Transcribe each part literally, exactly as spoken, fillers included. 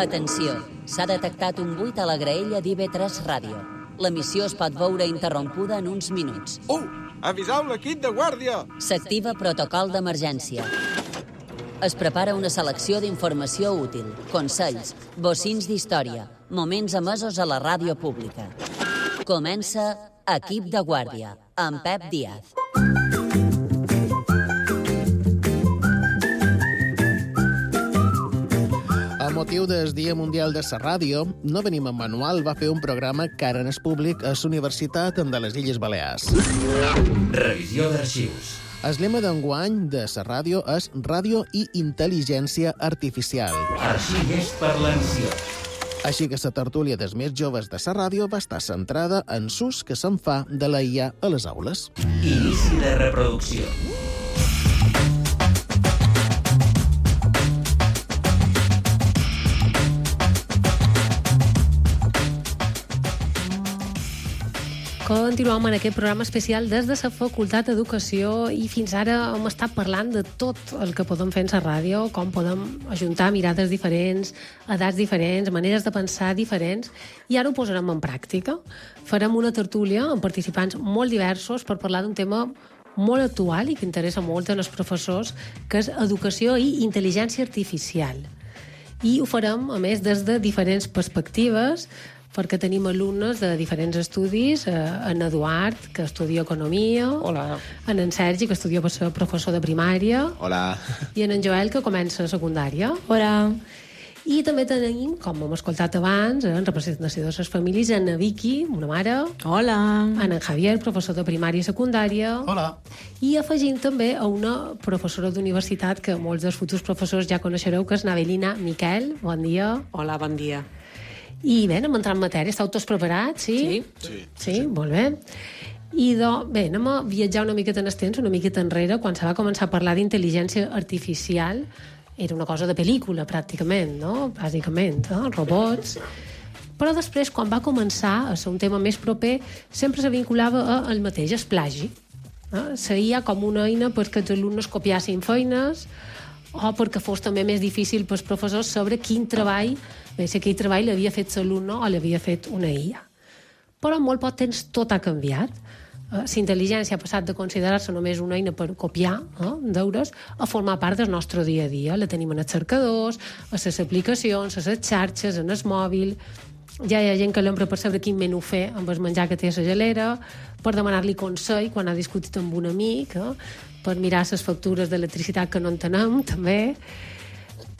Atenció, s'ha detectat un buit a la graella d'I B tres Ràdio. L'emissió es pot veure interrompuda en uns minuts. Uh! Aviseu l'equip de guàrdia! S'activa protocol d'emergència. Es prepara una selecció d'informació útil, consells, bocins d'història, moments emesos a la ràdio pública. Comença Equip de Guàrdia, amb Pep Díaz. A motiu del Dia Mundial de la Ràdio, No Venim en Manual va fer un programa que ara és públic a la Universitat de les Illes Balears. Revisió d'arxius. El lema d'enguany de la ràdio és Ràdio i Intel·ligència Artificial. Arxives per l'ansiós. Així que la tertúlia dels més joves de la ràdio va estar centrada en l'ús que se'n fa de la I A a les aules. Inici de reproducció. Continuem en aquest programa especial des de la Facultat d'Educació i fins ara hem estat parlant de tot el que podem fer en la ràdio, com podem ajuntar mirades diferents, edats diferents, maneres de pensar diferents, i ara ho posarem en pràctica. Farem una tertúlia amb participants molt diversos per parlar d'un tema molt actual i que interessa molt als professors, que és educació i intel·ligència artificial. I ho farem, a més, des de diferents perspectives, perquè tenim alumnes de diferents estudis, eh, en Eduard, que estudia Economia. Hola. En en Sergi, que estudia per ser professor de primària. Hola. I en en Joel, que comença secundària. Hola. I també tenim, com hem escoltat abans, en representació de les famílies, en Vicky, una mare. Hola. En en Javier, professor de primària i secundària. Hola. I afegint també a una professora d'universitat que molts dels futurs professors ja coneixereu, que és Navelina Miquel. Bon dia. Hola, bon dia. I bé, anem a entrar en matèria. Estàu tots preparats, sí? Sí. Sí. Sí, sí. Molt bé. I do, bé, anem a viatjar una miqueta en el temps, una miqueta enrere, quan se va començar a parlar d'intel·ligència artificial. Era una cosa de pel·lícula, pràcticament, no? Bàsicament, no? Robots. Però després, quan va començar a ser un tema més proper, sempre se vinculava al mateix, el plagi. No? Seria com una eina perquè els alumnes copiassin feines o perquè fos també més difícil pels professors saber quin treball, bé, si aquell treball l'havia fet l'alumne o l'havia fet una I A. Però en molt poc temps tot ha canviat. La intel·ligència ha passat de considerar-se només una eina per copiar eh, deures a formar part del nostre dia a dia. La tenim en els cercadors, a les aplicacions, a les xarxes, en el mòbil. Ja hi ha gent que l'empra per saber quin menú fer amb el menjar que té a la gelera, per demanar-li consell quan ha discutit amb un amic, eh, per mirar les factures d'electricitat que no en tenem, també.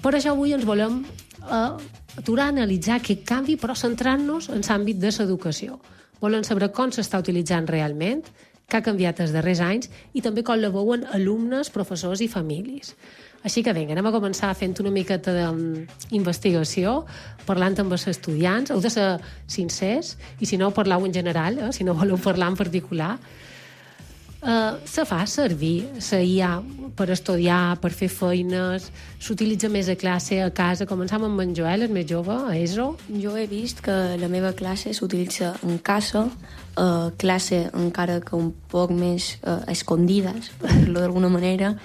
Per això avui ens volem eh, aturar a analitzar aquest canvi, però centrant-nos en l'àmbit de l'educació. Volem saber com s'està utilitzant realment, què ha canviat els darrers anys i també com la veuen alumnes, professors i famílies. Així que vinga, anem a començar fent una miqueta d'investigació, parlant amb els estudiants. Heu de ser sincers i si no, parlau en general, eh, si no voleu parlar en particular. Uh, se fa servir la I A per estudiar, per fer feines, s'utilitza més a classe, a casa. Començam amb en Joel, el més jove, a E S O. Jo he vist que la meva classe s'utilitza en casa, a classe encara que un poc més eh, escondides, per dir-ho d'alguna manera.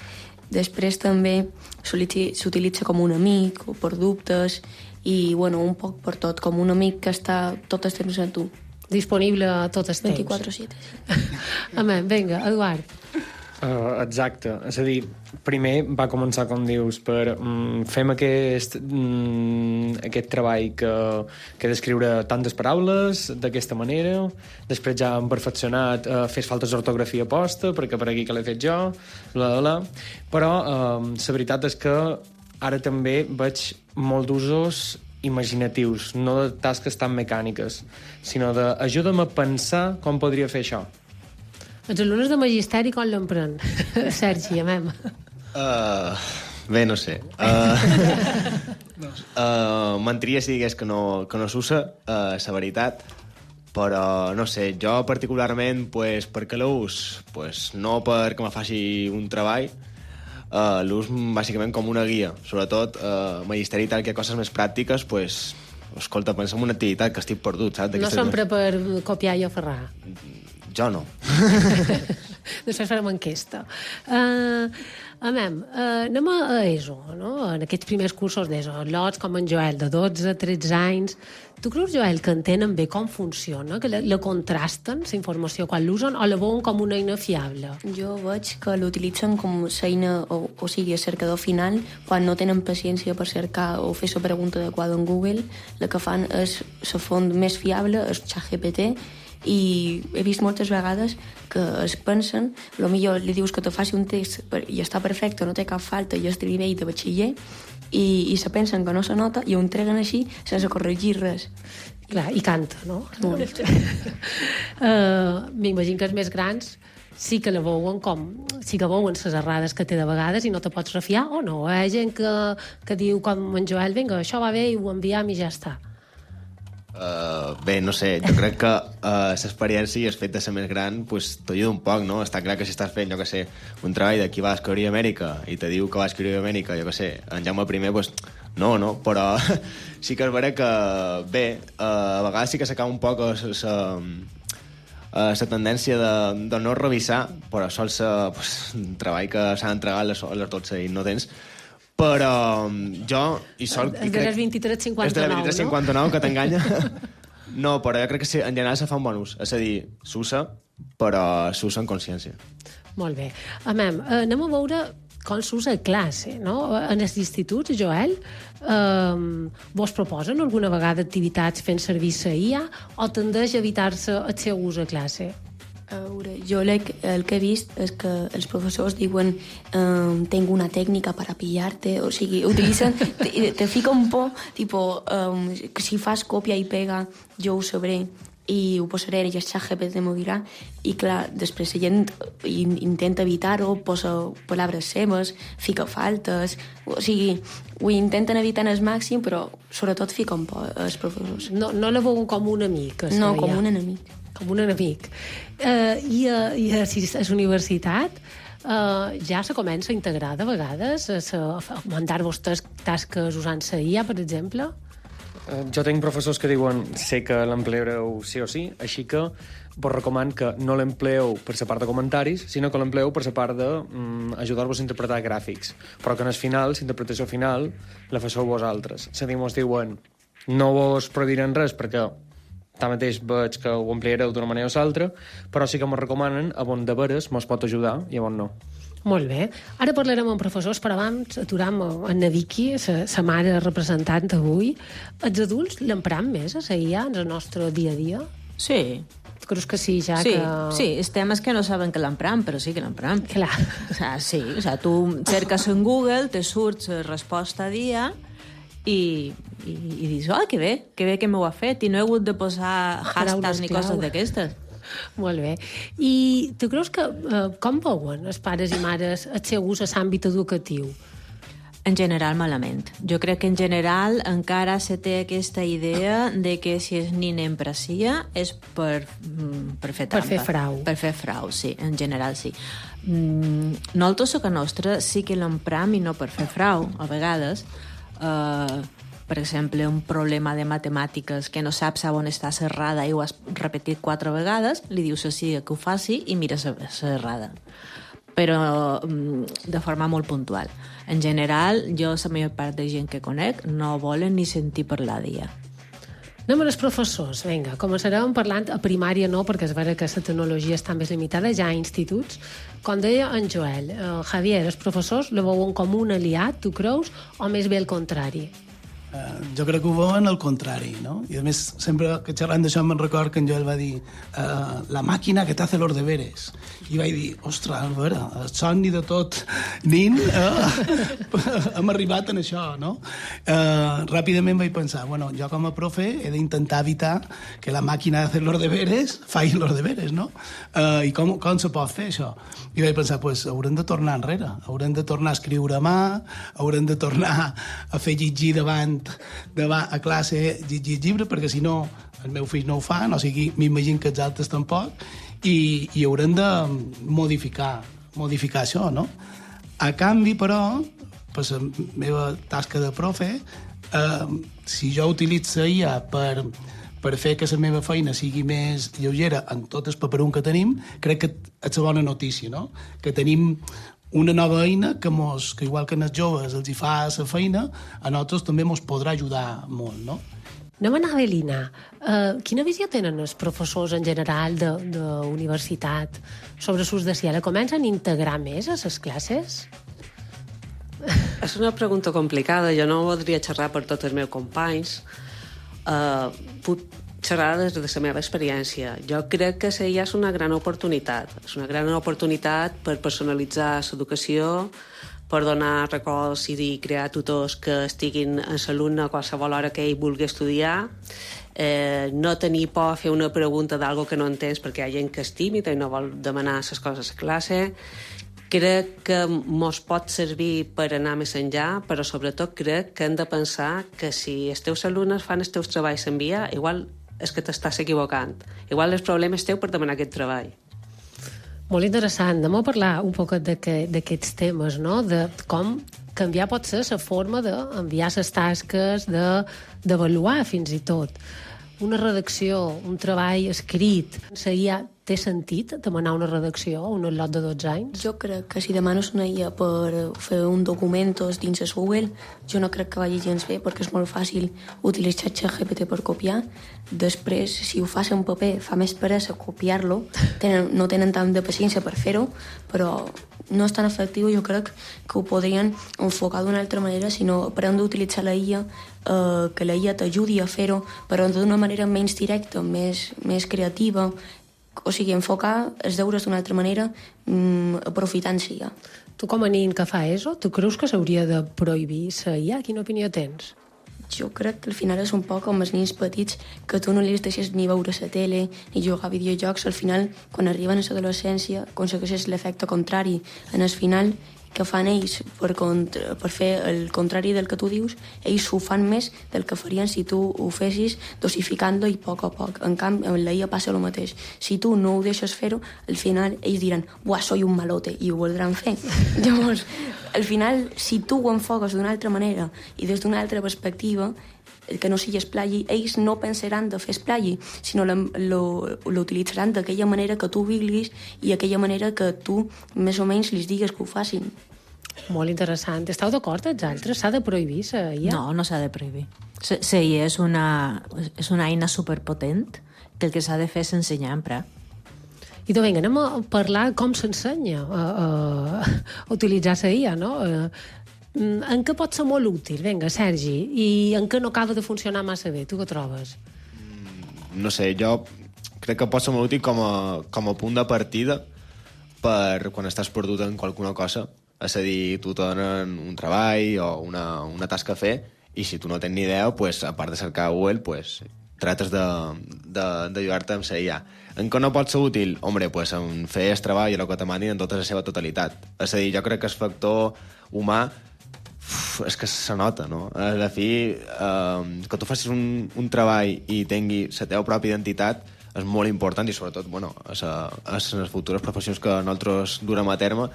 Després també s'utilitza com un amic o per dubtes i bueno, un poc per tot, com un amic que està tot el temps a tu. Disponible tot el temps. vint-i-quatre sete. Amén, vinga, Eduard. Uh, exacte, és a dir, primer va començar, com dius, per um, fem aquest, um, aquest treball que, que d'escriure tantes paraules d'aquesta manera, després ja hem perfeccionat, uh, fes faltes d'ortografia posta, perquè per aquí que l'he fet jo, bla, bla, bla. Però uh, la veritat és que ara també veig molt d'usos imaginatius, no de tasques tan mecàniques, sinó de ajuda'm a pensar com podria fer això. Els alumnes de magisteri com l'empren? Sergi, amem. Uh, bé, no sé. Uh, uh, mentiria si digués que no, que no s'usa, uh, la veritat, però no sé, jo particularment, pues, per què l'ús? Pues, no perquè me faci un treball, uh, l'ús bàsicament com una guia, sobretot uh, magisteri i tal, que hi ha coses més pràctiques, pues, escolta, pensa en una activitat que estic perdut, saps? No sempre per copiar i aferrar. Jo no. Després farem enquesta. Uh, amem, uh, anem a ESO, no? En aquests primers cursos d'ESO. Lots com en Joel, de dotze a tretze anys. Tu creus, Joel, que entenen bé com funciona? Que la, la contrasten, la informació, quan l'usen, o la veuen com una eina fiable? Jo veig que l'utilitzen com l'eina, o, o sigui, el cercador final, quan no tenen paciència per cercar o fer la pregunta adequada en Google, la que fan és la font més fiable, és ChatGPT, i he vist moltes vegades que es pensen, potser li dius que te faci un text i està perfecte, no té cap falta i és de nivell de batxiller, i, i se pensen que no se nota i ho entreguen així sense corregir res. Clar, i canta, no? Molt. uh, M'imagino que els més grans sí que la veuen com... sí que veuen les errades que té de vegades i no te pots refiar o no. Hi ha gent que, que diu com en Joel, vinga, això va bé i ho enviem i ja està. Uh, bé, no sé, jo crec que uh, l'experiència i el fet de ser més gran pues, t'ajuda un poc, no? Està clar que si estàs fent, jo que sé, un treball de qui va escriure a Amèrica i te diu que va escriure a Amèrica, jo que sé, en Jaume I, pues, no, no, però sí que és vera que, bé, uh, a vegades sí que s'acaba un poc la tendència de, de no revisar, però sol ser pues, un treball que s'ha d'entregar a les, a les dotze i no tens. Però jo... I sol, és de les vint-i-tres cinquanta-nou, no? És de les vint-i-tres cinquanta-nou, que t'enganya. No, però jo crec que sí, en general se fa un bon ús. És a dir, s'usa, però s'usa en consciència. Molt bé. Amem, anem a veure com s'usa a classe, no? En els instituts, Joel, eh, vos proposen alguna vegada activitats fent servir la I A o tendeix a evitar-se el seu ús a classe? A veure, jo el que he vist és que els professors diuen um, tengo una tècnica per a pillarte, o sigui, utilitzen, te, te fiquen por, tipo, um, si fas còpia i pega, jo ho sabré i ho posaré i el ChatGPT m'ho dirà, i clar, després la gent intenta evitar-ho, posa paraules seves, fica faltes, o sigui, ho intenten evitar al màxim, però sobretot fiquen por els professors. No, no la veuen com un amic? No, com un enemic. Com un enemic. Uh, I a, i a, a la universitat uh, ja se comença a integrar de vegades a, a, a mandar-vos tasques usant la I A, per exemple? Uh, jo tinc professors que diuen sé que l'empleareu sí o sí, així que vos recomano que no l'empleeu per la part de comentaris, sinó que l'empleeu per la part d'ajudar-vos um, a interpretar gràfics, però que en el final, la interpretació final, la faceu vosaltres. És a dir, mos diuen no vos prohibiran res perquè tanmateix veig que ho ampliareu d'una manera o l'altra, però sí que m'ho recomanen a on de veres mos pot ajudar i a on no. Molt bé. Ara parlarem amb professors, però abans aturam en Vicky, la mare representant avui. Els adults l'empram més a la I A en el nostre dia a dia? Sí. Creus que sí, ja sí, que... Sí, els temes que no saben que l'empram, però sí que l'empram. Clar. O sea, sí, o sea, tu cerques en Google, te surt la resposta dia i, i, i dius, oh, que bé, que bé que m'ho ha fet, i no he hagut de posar hashtags ni coses d'aquestes. Molt bé. I tu creus que, eh, com veuen els pares i mares el seu ús a l'àmbit educatiu? En general, malament. Jo crec que en general encara se té aquesta idea de que si el nin emprecia és per, per fer trampa. Per fer frau. Per fer frau, sí, en general sí. Mm, nosaltres, a casa nostra, sí que l'empram i no per fer frau, a vegades. Uh, per exemple, un problema de matemàtiques que no saps on està l'errada i ho has repetit quatre vegades, li dius així que ho faci i mira l'errada. Però de forma molt puntual. En general, jo, la major part de gent que conec, no volen ni sentir parlar d'ella. Anem als professors, vinga. Començarem parlant a primària no, perquè és vera que la tecnologia està més limitada, ja a instituts. Com deia en Joel, eh, Javier, els professors la veuen com un aliat, tu creus, o més bé el contrari? Uh, jo crec que ho veuen al contrari, no? I a més, sempre que xerrant d'això me'n record que en Joel va dir uh, la màquina que t'hace los deberes. I vaig dir, ostres, a veure, el somni de tot nin, uh, hem arribat en això, no? Uh, ràpidament vaig pensar, bueno, jo com a profe he d'intentar evitar que la màquina de hacer los deberes faci los deberes, no? Uh, I com, com se pot fer això? I vaig pensar, pues haurem de tornar enrere, haurem de tornar a escriure a mà, haurem de tornar a fer llegir davant de va a classe llegir llibre, perquè si no el meu fill no ho fa, o sigui, m'imagino que els altres tampoc, i, i haurem de modificar modificar això, no? A canvi, però, per la meva tasca de profe, eh, si jo utilitzo I A per, per fer que la meva feina sigui més lleugera en tot el paperum que tenim, crec que és una bona notícia, no? Que tenim una nova eina que, mos, que igual que als joves els hi fa la feina, a nosaltres també ens podrà ajudar molt, no? Anem a anar a Belina. Uh, quina visió tenen els professors en general de, de universitat sobre l'ús de ciela? Comencen a integrar més a les classes? És una pregunta complicada. Jo no voldria xerrar per tots els meus companys. Uh, puc xerrar des de la meva experiència. Jo crec que ja és una gran oportunitat. És una gran oportunitat per personalitzar l'educació, per donar records i crear tutors que estiguin en l'alumne a qualsevol hora que ell vulgui estudiar, eh, no tenir por a fer una pregunta d'algo que no entens perquè hi ha gent que és tímida i no vol demanar les coses a classe. Crec que mos pot servir per anar més enllà, però sobretot crec que hem de pensar que si els teus alumnes fan els teus treballs en via, igual és que t'estàs equivocant. Igual el problema és teu per demanar aquest treball. Molt interessant. Anem a parlar un poc d'aquests temes, no? De com canviar pot ser la forma d'enviar les tasques, d'avaluar fins i tot. Una redacció, un treball escrit, seria, té sentit demanar una redacció a un lot de dotze anys? Jo crec que si demanes una I A per fer un document dins el Google, jo no crec que vagi gens bé, perquè és molt fàcil utilitzar ChatGPT per copiar. Després, si ho fas en paper, fa més peresa copiar-lo, tenen, no tenen tant de paciència per fer-ho, però no és tan efectiu. Jo crec que ho podrien enfocar d'una altra manera, sinó aprendre a utilitzar la I A, eh, que la I A t'ajudi a fer-ho, però d'una manera menys directa, més, més creativa. O sigui, enfocar els deures d'una altra manera, mmm, aprofitant-s'hi ja. Tu com a nin que fa eso, tu creus que s'hauria de prohibir la I A? Quina opinió tens? Jo crec que al final és un poc com els nins petits, que tu no li deixes ni veure la tele ni jugar a videojocs. Al final, quan arriben a l'adolescència, aconsegueixes l'efecte contrari. En el final, que fan ells per, contra, per fer el contrari del que tu dius, ells ho fan més del que farien si tu ho fessis dosificant-lo i a poc a poc. En canvi, amb la I A passa el mateix. Si tu no ho deixes fer-ho, al final ells diran «Buah, soy un malote», i ho voldran fer. Llavors, al final, si tu ho enfoques d'una altra manera i des d'una altra perspectiva, que no sigui esplagi, ells no pensaran de fer esplagi, sinó l'utilitzaran d'aquella manera que tu vulguis i aquella manera que tu més o menys li digues que ho facin. Molt interessant. Esteu d'acord, els altres? S'ha de prohibir la I A? No, no s'ha de prohibir. La I A és una, és una eina superpotent que el que s'ha de fer és ensenyar a emprar. I doncs vinga, anem a parlar com s'ensenya a, a, a utilitzar la I A, no? En què pot ser molt útil? Vinga, Sergi. I en què no acaba de funcionar massa bé? Tu què trobes? No sé, jo crec que pot ser molt útil com a, com a punt de partida per quan estàs perdut en qualsevol cosa. És a dir, tu te donen un treball o una, una tasca a fer i si tu no tens ni idea, pues, a part de cercar a Google, pues, trates d'ajudar-te amb la I A. En què no pot ser útil? Hombre, pues, en fer el treball i el que te manin en tota la seva totalitat. És a dir, jo crec que el factor humà uf, és que se nota, no? A la fi, eh, que tu facis un, un treball i tingui la teva pròpia identitat és molt important i sobretot, bueno, a, a, a les futures professions que nosaltres durem a terme,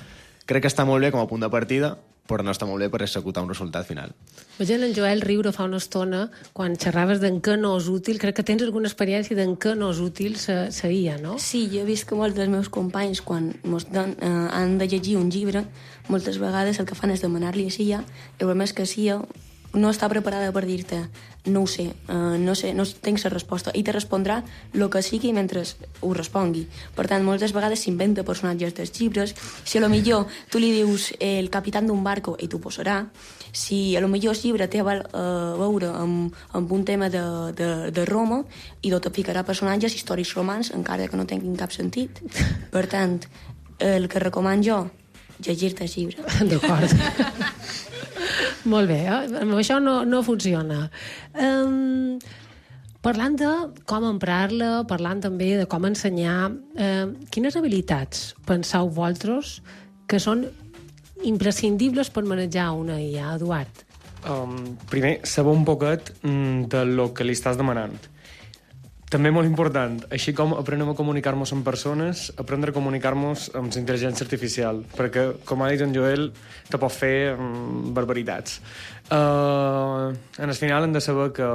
crec que està molt bé com a punt de partida, però no està molt bé per executar un resultat final. Veient en Joel riure fa una estona quan xerraves d'en què no és útil. Crec que tens alguna experiència d'en què no és útil la I A, no? Sí, jo he vist que molts dels meus companys, quan mos dan, eh, han de llegir un llibre, moltes vegades el que fan és demanar-li a la I A, el problema és que la I A no està preparada per dir-te no ho sé, uh, no sé, no tinc la resposta, i te respondrà el que sigui mentre ho respongui. Per tant, moltes vegades s'inventa personatges dels llibres. Si a lo millor tu li dius eh, el capità d'un barco, i t'ho posarà. Si a lo millor el llibre té a veure amb, amb un tema de, de, de Roma, i te ficarà personatges històrics romans, encara que no tinguin cap sentit. Per tant, el que recomano jo, llegir-te el llibre. D'acord. Molt bé, eh? Amb això no, no funciona. Um, parlant de com emprar-la, parlant també de com ensenyar, uh, quines habilitats penseu vosaltres que són imprescindibles per manejar una I A, Eduard? Um, primer, saber un poquet mm, de lo que li estàs demanant. també molt important, així com aprenem a comunicar-nos amb persones, aprendre a comunicar-nos amb la intel·ligència artificial, perquè, com ha dit en Joel, te pot fer mm, barbaritats. Uh, en el final hem de saber que,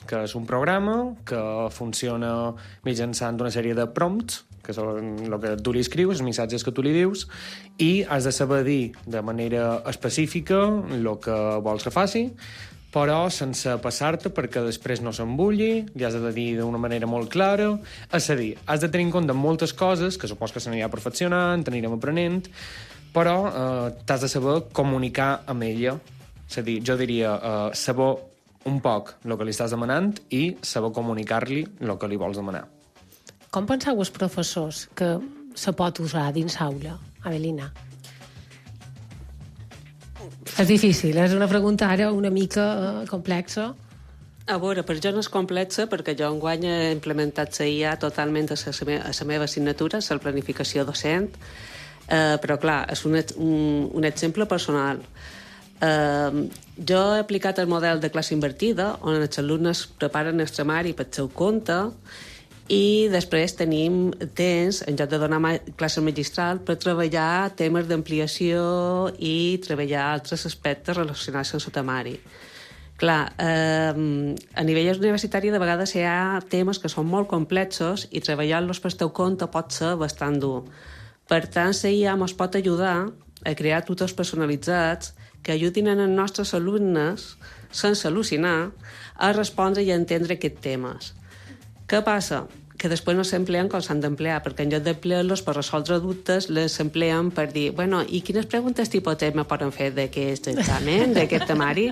que és un programa que funciona mitjançant una sèrie de prompts, que són el que tu li escrius, els missatges que tu li dius, i has de saber dir de manera específica el que vols que faci, però sense passar-te perquè després no s'embulli, li has de dir d'una manera molt clara. És a dir, has de tenir en compte moltes coses, que supos que s'anirà perfeccionant, t'anirem aprenent, però eh, t'has de saber comunicar amb ella. És a dir, jo diria eh, saber un poc el que li estàs demanant i saber comunicar-li el que li vols demanar. Com penseu els professors que se pot usar dins aula, Avelina? És difícil, és una pregunta ara una mica uh, complexa. A veure, per jo no és complexa perquè jo enguany he implementat la I A totalment a la, me a la meva assignatura, la planificació docent, eh, però clar, és un, un, un exemple personal. Eh, jo he aplicat el model de classe invertida, on els alumnes preparen el tramari per seu compte, i després tenim temps, en lloc de donar ma classe magistral, per treballar temes d'ampliació i treballar altres aspectes relacionats amb el temari. Clar, eh, a nivell universitari de vegades hi ha temes que són molt complexos i treballar-los per teu compte pot ser bastant dur. Per tant, la I A ens pot ajudar a crear tutors personalitzats que ajudin als nostres alumnes, sense al·lucinar, a respondre i a entendre aquests temes. Què passa? Que després no s'empleen com s'han d'emplear, perquè en lloc d'emplear-los per resoldre dubtes, les empleen per dir, bueno, i quines preguntes tipus me poden fer d'aquest examen, d'aquest temari?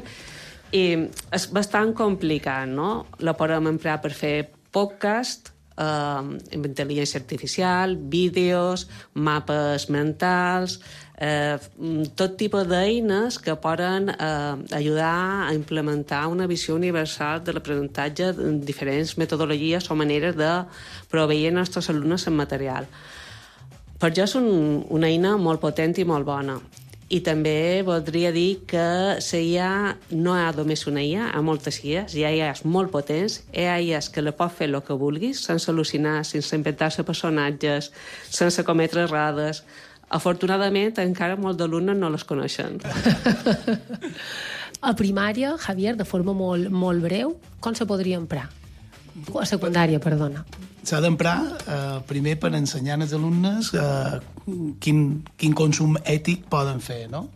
I és bastant complicat, no? La podem emplear per fer podcast, eh, amb intel·ligència artificial, vídeos, mapes mentals, eh, tot tipus d'eines que poden eh, ajudar a implementar una visió universal de l'aprenentatge en diferents metodologies o maneres de proveir els nostres alumnes en material. Per jo és un, una eina molt potent i molt bona. I també voldria dir que la I A no hi ha només una I A, hi ha moltes I As, hi ha I As molt potents, hi ha I As que la pot fer el que vulguis, sense al·lucinar, sense inventar-se personatges, sense cometre errades. Afortunadament, encara molts d'alumnes no les coneixen. A primària, Javier, de forma molt, molt breu, com se podria emprar? A secundària, perdona. S'ha d'emprar eh, primer per ensenyar als alumnes eh, quin, quin consum ètic poden fer, no?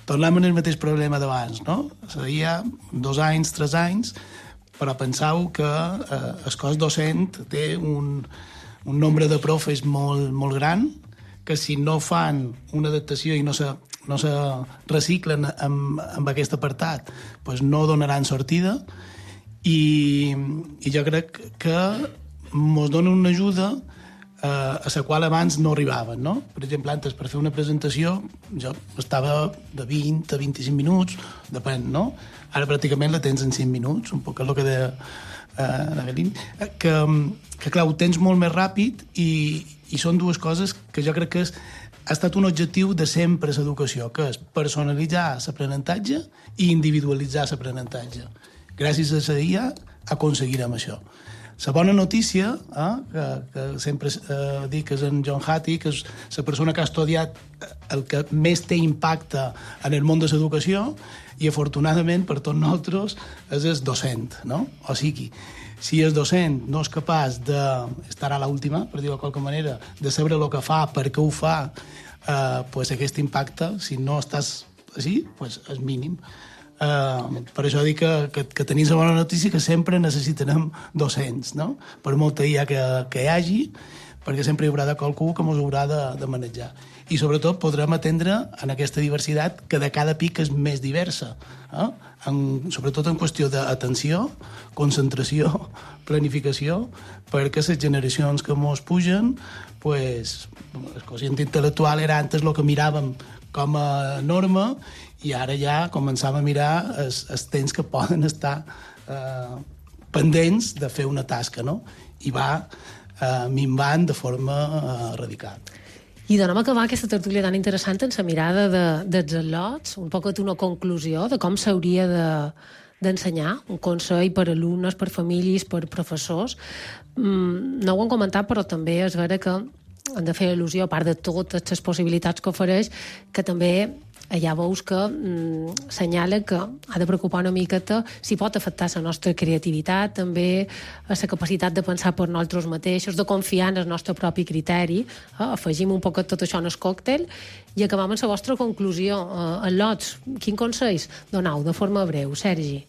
Tornem al mateix problema d'abans, no? Seria dos anys, tres anys, però penseu que eh, el cos docent té un, un nombre de profes molt, molt gran, que si no fan una adaptació i no se, no se reciclen amb, amb aquest apartat, pues no donaran sortida, i, i jo crec que ens dona una ajuda eh, a la qual abans no arribaven, no? Per exemple, antes, per fer una presentació, jo estava de vint a vint-i-cinc minuts, depèn, no? Ara pràcticament la tens en cinc minuts, un poc el que deia eh, l'Avelin, que, que clar, ho tens molt més ràpid i, i són dues coses que jo crec que és, ha estat un objectiu de sempre a l'educació, que és personalitzar l'aprenentatge i individualitzar l'aprenentatge. Gràcies a la I A aconseguirem això. La bona notícia, eh, que, que sempre eh, dic que és en John Hattie, que és la persona que ha estudiat el que més té impacte en el món de l'educació, i afortunadament per tots nosaltres és el docent, no? O sigui, si el docent no és capaç d'estar a l'última, per dir-ho de qualque manera, de saber el que fa, per què ho fa, eh, pues aquest impacte, si no estàs així, pues és mínim. Uh, per això dic que, que, que tenim la bona notícia que sempre necessitarem docents, no? Per molta I A que, que hi hagi, perquè sempre hi haurà de qualcú que ens haurà de, de manejar. I sobretot podrem atendre en aquesta diversitat que de cada pic és més diversa, eh? en, sobretot en qüestió d'atenció, concentració, planificació, perquè les generacions que ens pugen, pues, el quocient intel·lectual era antes el que miràvem com a norma, i ara ja començàvem a mirar els, els temps que poden estar eh, pendents de fer una tasca, no? I va eh, minvant de forma eh, radical. I donem a acabar aquesta tertúlia tan interessant en la mirada de, dels al·lots, un poc una conclusió de com s'hauria de, d'ensenyar, un consell per alumnes, per famílies, per professors. Mm, no ho han comentat, però també és vera que han de fer al·lusió, a part de totes les possibilitats que ofereix, que també ja veus que mm, senyala que ha de preocupar una miqueta si pot afectar la nostra creativitat, també la capacitat de pensar per nosaltres mateixos, de confiar en el nostre propi criteri. Eh? Afegim un poc tot això en el còctel i acabam amb la vostra conclusió. Eh, en lots, quin consells donau de forma breu, Sergi?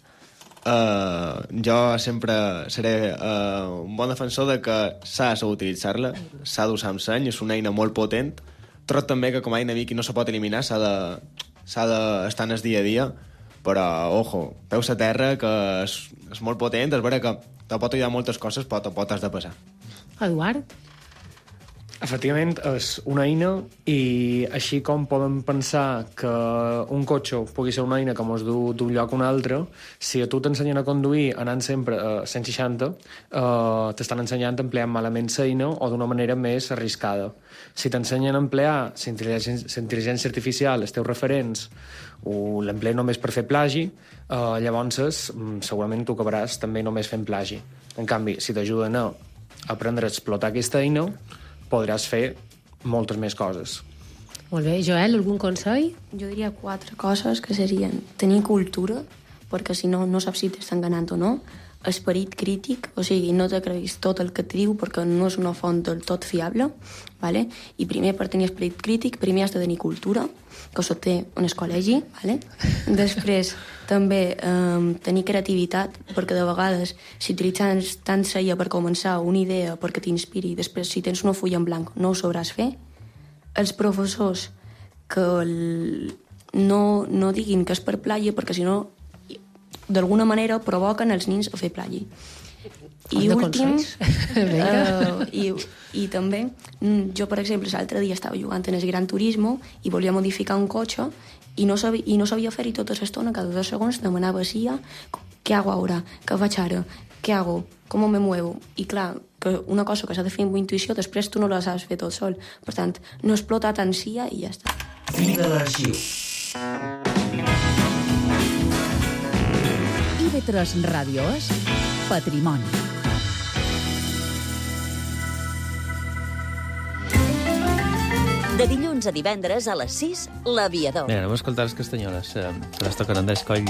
Uh, jo sempre seré uh, un bon defensor de que s'ha de saber utilitzar-la, s'ha d'usar amb seny, és una eina molt potent. Trobo també que com a eina Vicky no se pot eliminar, s'ha de, s'ha d'estar en el dia a dia, però, ojo, peus a terra, que és, és molt potent, és vera que te pot ajudar moltes coses, però te pot has de passar. Eduard? Efectivament, és una eina i així com podem pensar que un cotxe pugui ser una eina que ens du d'un lloc a un altre, si a tu t'ensenyen a conduir anant sempre a cent seixanta, eh, t'estan ensenyant a emplear malament l'eina o d'una manera més arriscada. Si t'ensenyen a emplear l'intel·ligència artificial, els teus referents, o l'emplees només per fer plagi, eh, llavors segurament tu acabaràs també només fent plagi. En canvi, si t'ajuden a aprendre a explotar aquesta eina, podràs fer moltes més coses. Molt bé. Joel, algun consell? Jo diria quatre coses que serien tenir cultura, perquè si no, no saps si t'estan ganant o no, esperit crític, o sigui, no te creguis tot el que et diu perquè no és una font del tot fiable, ¿vale? I primer, per tenir esperit crític, primer has de tenir cultura, que això té en el col·legi, ¿vale? Després, també eh, tenir creativitat, perquè de vegades, si utilitzes tant seia per començar una idea perquè t'inspiri, després, si tens una fulla en blanc, no ho sabràs fer. Els professors que el... no, no diguin que és per plagi, perquè si no, d'alguna manera provoquen els nins a fer plagi. I últim, uh, i, i també, jo, per exemple, l'altre dia estava jugant en el Gran Turismo i volia modificar un cotxe i no sabia, i no sabia fer-hi tota l'estona, cada dos segons demanava si ja, què hago ara, què faig ara, què hago, com me muevo. I clar, que una cosa que s'ha de fer amb intuïció, després tu no la saps fer tot sol. Per tant, no explotar tant sia i ja està. Fi de l'arxiu. I ve tres Ràdio és Patrimoni. De dilluns a divendres a les sis, L'Aviador. Mira, anem a escoltar les castanyoles, eh, que les toquen Andrés Coll.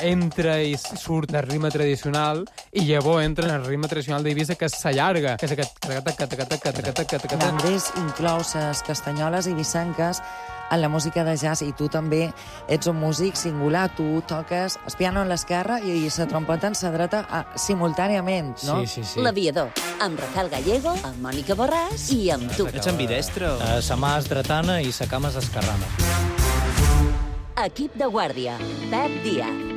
Entra i surt el ritme tradicional i llavors entra en el ritme tradicional d'Eivissa, que s'allarga, que és aquest... L'Andrés inclou les castanyoles eivissenques en la música de jazz i tu també ets un músic singular, tu toques el piano en l'esquerra i la trompeta en la dreta a, simultàniament, no? Sí, sí, sí. L'Aviador, amb Rafael Gallego, amb Mònica Borràs i amb tu. Ets ambidestre? Uh, sa mà és dretana i sa cama és esquerrana. Equip de guàrdia, Pep Díaz.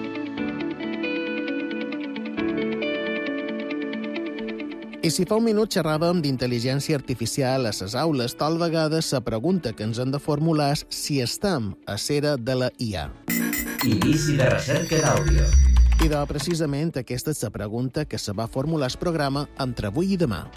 I si fa un minut xerràvem d'intel·ligència artificial a les aules, tal vegada la pregunta que ens hem de formular és si estem a l'era de la I A. Inici de recerca d'àudio. I de, precisament, aquesta és la pregunta que se va formular el programa entre avui i demà.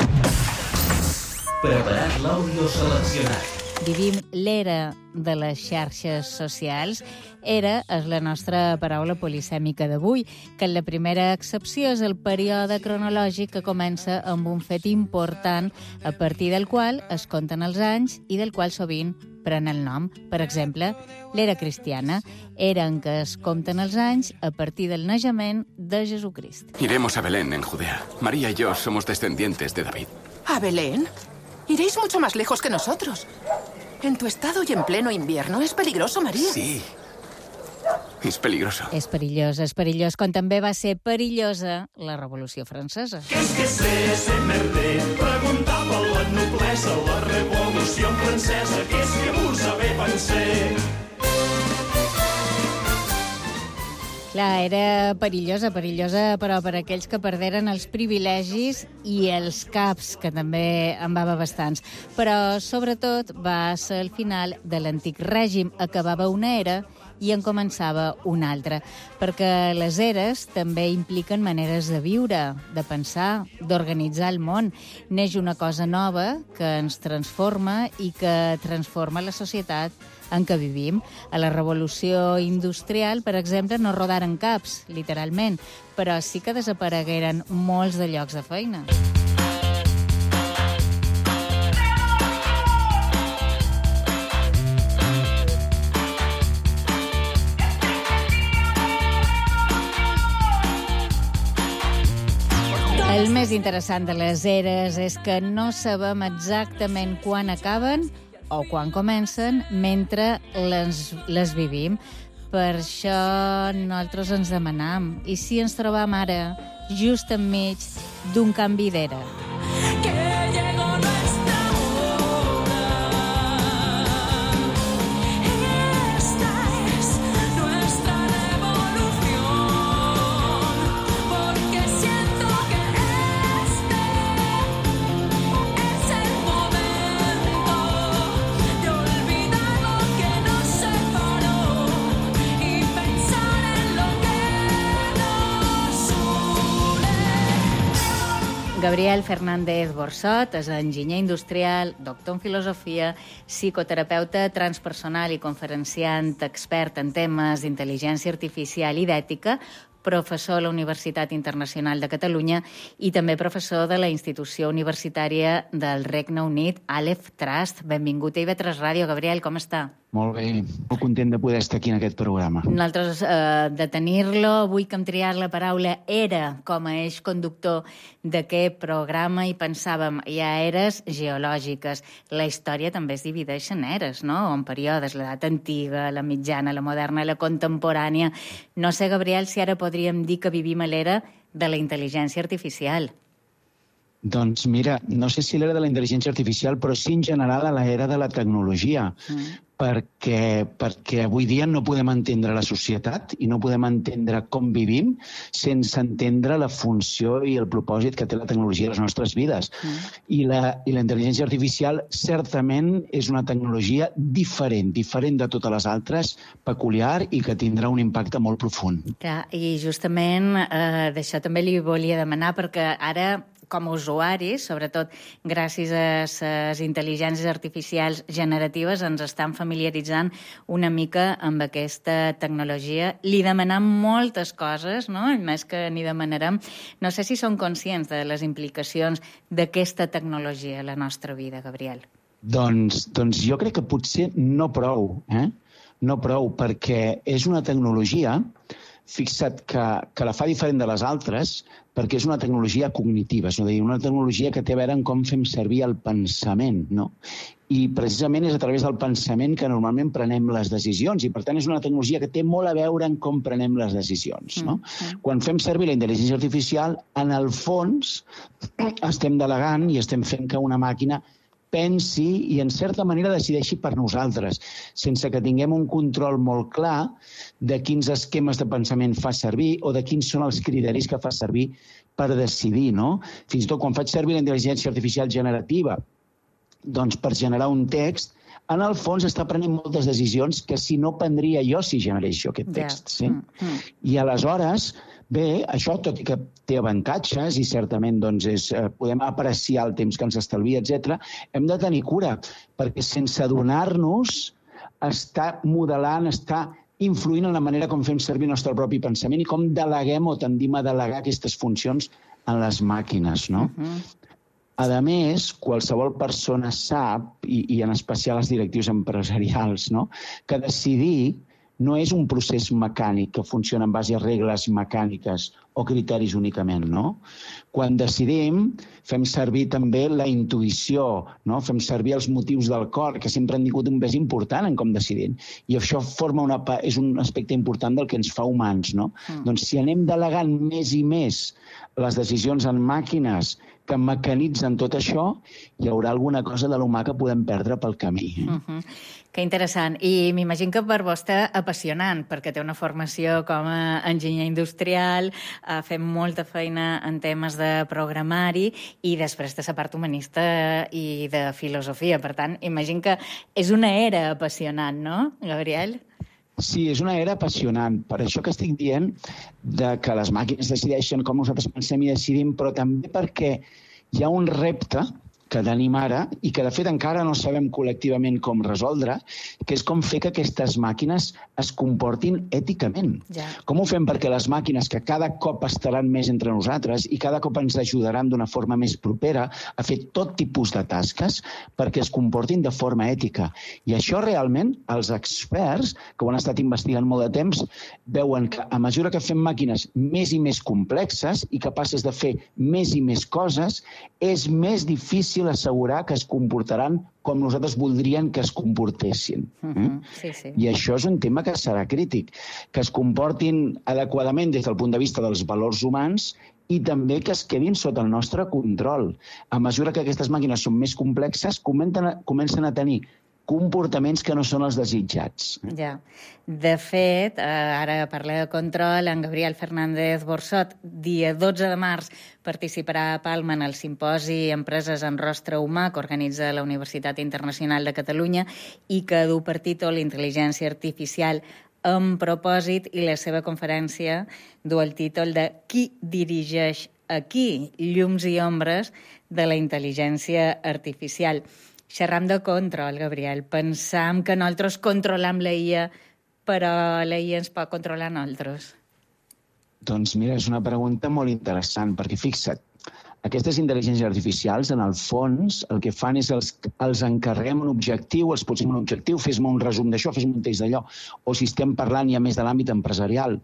Preparat l'àudio seleccionat. Vivim l'era de les xarxes socials. Era és la nostra paraula polisèmica d'avui, que la primera excepció és el període cronològic que comença amb un fet important a partir del qual es compten els anys i del qual sovint pren el nom. Per exemple, l'era cristiana, era en què es compten els anys a partir del naixement de Jesucrist. Iremos a Belén, en Judea. María y yo somos descendientes de David. ¿A Belén? Iréis mucho más lejos que nosotros. En tu estado y en pleno invierno es peligroso, María. Sí. És peligroso. És perillós, és perillós, com també va ser perillosa la Revolució Francesa. ¿Qué es que sé, ese merder? Preguntava la noblesa, la Revolució Francesa, que és que vos saber pensar. Clar, era perillosa, perillosa, però per aquells que perderen els privilegis i els caps, que també en va haver bastants. Però, sobretot, va ser el final de l'antic règim. Acabava una era i en començava una altra, perquè les eres també impliquen maneres de viure, de pensar, d'organitzar el món. Neix una cosa nova que ens transforma i que transforma la societat en què vivim. A la revolució industrial, per exemple, no rodaren caps, literalment, però sí que desaparegueren molts de llocs de feina. El més interessant de les eres és que no sabem exactament quan acaben o quan comencen mentre les, les vivim. Per això nosaltres ens demanam, i si ens trobam ara just enmig d'un canvi d'era? Gabriel Fernández Borsot és enginyer industrial, doctor en filosofia, psicoterapeuta transpersonal i conferenciant expert en temes d'intel·ligència artificial i d'ètica, professor a la Universitat Internacional de Catalunya i també professor de la institució universitària del Regne Unit, Aleph Trust. Benvingut a I V tres Ràdio. Gabriel, com està? Molt bé, molt content de poder estar aquí en aquest programa. Nosaltres, eh, de tenir-lo, avui que hem triat la paraula era com a eix conductor d'aquest programa i pensàvem, hi ha eres geològiques. La història també es divideix en eres, no? En períodes, l'edat antiga, la mitjana, la moderna, la contemporània. No sé, Gabriel, si ara podríem dir que vivim a l'era de la intel·ligència artificial. Doncs mira, no sé si l'era de la intel·ligència artificial, però sí en general a l'era de la tecnologia. Mm. Perquè, perquè avui dia no podem entendre la societat i no podem entendre com vivim sense entendre la funció i el propòsit que té la tecnologia a les nostres vides. Mm. I, la, I la intel·ligència artificial certament és una tecnologia diferent, diferent de totes les altres, peculiar i que tindrà un impacte molt profund. Clar, i justament eh, d'això també li volia demanar, perquè ara com a usuaris, sobretot gràcies a les intel·ligències artificials generatives, ens estan familiaritzant una mica amb aquesta tecnologia. Li demanem moltes coses, no? I més que n'hi demanarem. No sé si són conscients de les implicacions d'aquesta tecnologia a la nostra vida, Gabriel. Doncs, doncs jo crec que potser no prou, eh? No prou, perquè és una tecnologia, fixa't que, que la fa diferent de les altres, perquè és una tecnologia cognitiva, és a dir, una tecnologia que té a veure amb com fem servir el pensament, no? I precisament és a través del pensament que normalment prenem les decisions, i per tant és una tecnologia que té molt a veure amb com prenem les decisions, no? Mm-hmm. Quan fem servir la intel·ligència artificial, en el fons estem delegant i estem fent que una màquina pensi i, en certa manera, decideixi per nosaltres, sense que tinguem un control molt clar de quins esquemes de pensament fa servir o de quins són els criteris que fa servir per decidir, no? Fins i tot quan faig servir la intel·ligència artificial generativa, doncs per generar un text, en el fons està prenent moltes decisions que si no prendria jo si generés jo aquest text. Sí? Mm-hmm. I aleshores, bé, això, tot i que té avantatges i certament doncs, és, eh, podem apreciar el temps que ens estalvia, etcètera, hem de tenir cura, perquè sense adonar-nos està modelant, està influint en la manera com fem servir el nostre propi pensament i com deleguem o tendim a delegar aquestes funcions en les màquines, no? Uh-huh. A més, qualsevol persona sap, i, i en especial els directius empresarials, no?, que decidir no és un procés mecànic que funciona en base a regles mecàniques o criteris únicament, no? Quan decidim, fem servir també la intuïció, no? Fem servir els motius del cor, que sempre han tingut un pes important en com decidim. I això forma una, és un aspecte important del que ens fa humans, no? Mm. Doncs si anem delegant més i més les decisions en màquines que mecanitzen tot això, hi haurà alguna cosa de l'humà que podem perdre pel camí. Eh? Uh-huh. Que interessant. I m'imagino que per vostè apassionant, perquè té una formació com a enginyer industrial, eh, fem molta feina en temes de programari i després de la part humanista i de filosofia. Per tant, imagino que és una era apassionant, no, Gabriel? Sí, és una era apassionant. Per això que estic dient de que les màquines decideixen com nosaltres pensem i decidim, però també perquè hi ha un repte que tenim ara i que, de fet, encara no sabem col·lectivament com resoldre, que és com fer que aquestes màquines es comportin èticament. Ja. Com ho fem perquè les màquines, que cada cop estaran més entre nosaltres i cada cop ens ajudaran d'una forma més propera a fer tot tipus de tasques, perquè es comportin de forma ètica. I això realment els experts, que ho han estat investigant molt de temps, veuen que a mesura que fem màquines més i més complexes i capaces de fer més i més coses, és més difícil assegurar que es comportaran com nosaltres voldríem que es comportessin. Uh-huh. Sí, sí. I això és un tema que serà crític, que es comportin adequadament des del punt de vista dels valors humans i també que es quedin sota el nostre control. A mesura que aquestes màquines són més complexes, comencen a, comencen a tenir comportaments que no són els desitjats. Ja. De fet, ara parla de control, en Gabriel Fernández Borsot, dia dotze de març, participarà a Palma en el simposi Empreses en rostre humà que organitza la Universitat Internacional de Catalunya i que du per títol Intel·ligència artificial amb propòsit, i la seva conferència du el títol de Qui dirigeix aquí? Llums i ombres de la intel·ligència artificial. Xerram de control, Gabriel. Pensam que nosaltres controlam la I A, però la I A ens pot controlar nosaltres. Doncs mira, és una pregunta molt interessant, perquè fixa't, aquestes intel·ligències artificials, en el fons, el que fan és els, els encarreguem un objectiu, els posem un objectiu, fes-me un resum d'això, fes-me un text d'allò. O si estem parlant ja més de l'àmbit empresarial,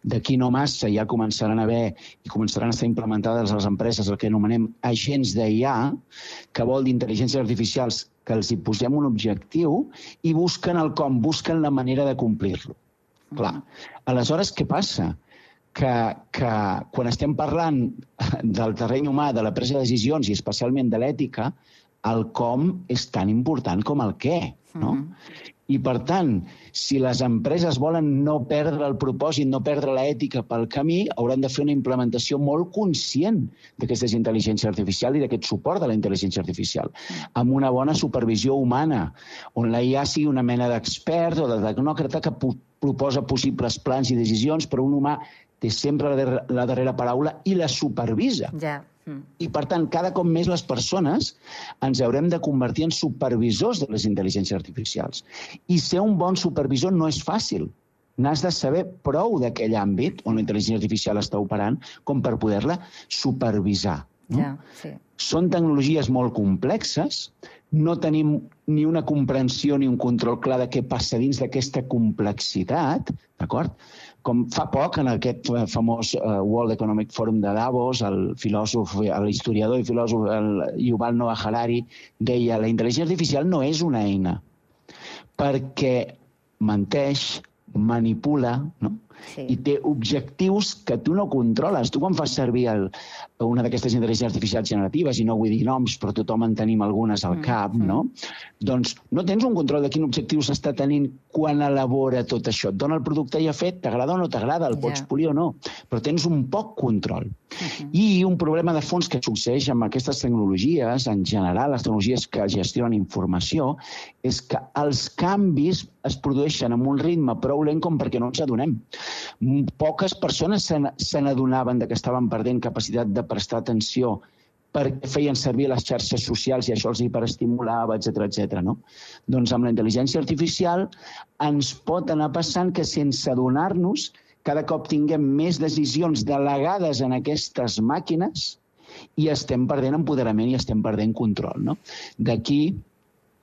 d'aquí no massa ja començaran a haver i començaran a estar implementades a les empreses el que anomenem agents d'I A, que vol d'intel·ligències artificials que els hi posem un objectiu i busquen el com, busquen la manera de complir-lo. Clar, aleshores què passa? Que, que quan estem parlant del terreny humà, de la presa de decisions i especialment de l'ètica, el com és tan important com el què, no? Mm-hmm. I, per tant, si les empreses volen no perdre el propòsit, no perdre l'ètica pel camí, hauran de fer una implementació molt conscient d'aquesta intel·ligència artificial i d'aquest suport de la intel·ligència artificial, amb una bona supervisió humana, on la I A sigui una mena d'expert o de tecnòcrata que proposa possibles plans i decisions, però un humà té sempre la, der la darrera paraula i la supervisa. Ja. Mm. I, per tant, cada cop més les persones ens haurem de convertir en supervisors de les intel·ligències artificials. I ser un bon supervisor no és fàcil. N'has de saber prou d'aquell àmbit on la intel·ligència artificial està operant com per poder-la supervisar. No? Ja, sí. Són tecnologies molt complexes, no tenim ni una comprensió ni un control clar de què passa dins d'aquesta complexitat, d'acord? Com fa poc, en aquest famós uh, World Economic Forum de Davos, el filòsof, l'historiador i filòsof el Yuval Noah Harari deia la intel·ligència artificial no és una eina, perquè menteix, manipula, no? Sí. I té objectius que tu no controles. Tu quan fas servir el, una d'aquestes intel·ligències artificials generatives, i no vull dir noms, però tothom en tenim algunes al cap, mm -hmm. no? Doncs no tens un control de quin objectiu s'està tenint quan elabora tot això. Et dona el producte ja fet, t'agrada o no t'agrada, el pots yeah. polir o no, però tens un poc control. Uh-huh. I un problema de fons que succeeix amb aquestes tecnologies, en general, les tecnologies que gestionen informació, és que els canvis es produeixen amb un ritme prou lent com perquè no ens adonem. Poques persones se n'adonaven que estaven perdent capacitat de prestar atenció perquè feien servir les xarxes socials i això els hiperestimulava, etcètera, etcètera, no? Doncs amb la intel·ligència artificial ens pot anar passant que sense adonar-nos cada cop tinguem més decisions delegades en aquestes màquines i estem perdent empoderament i estem perdent control, no? D'aquí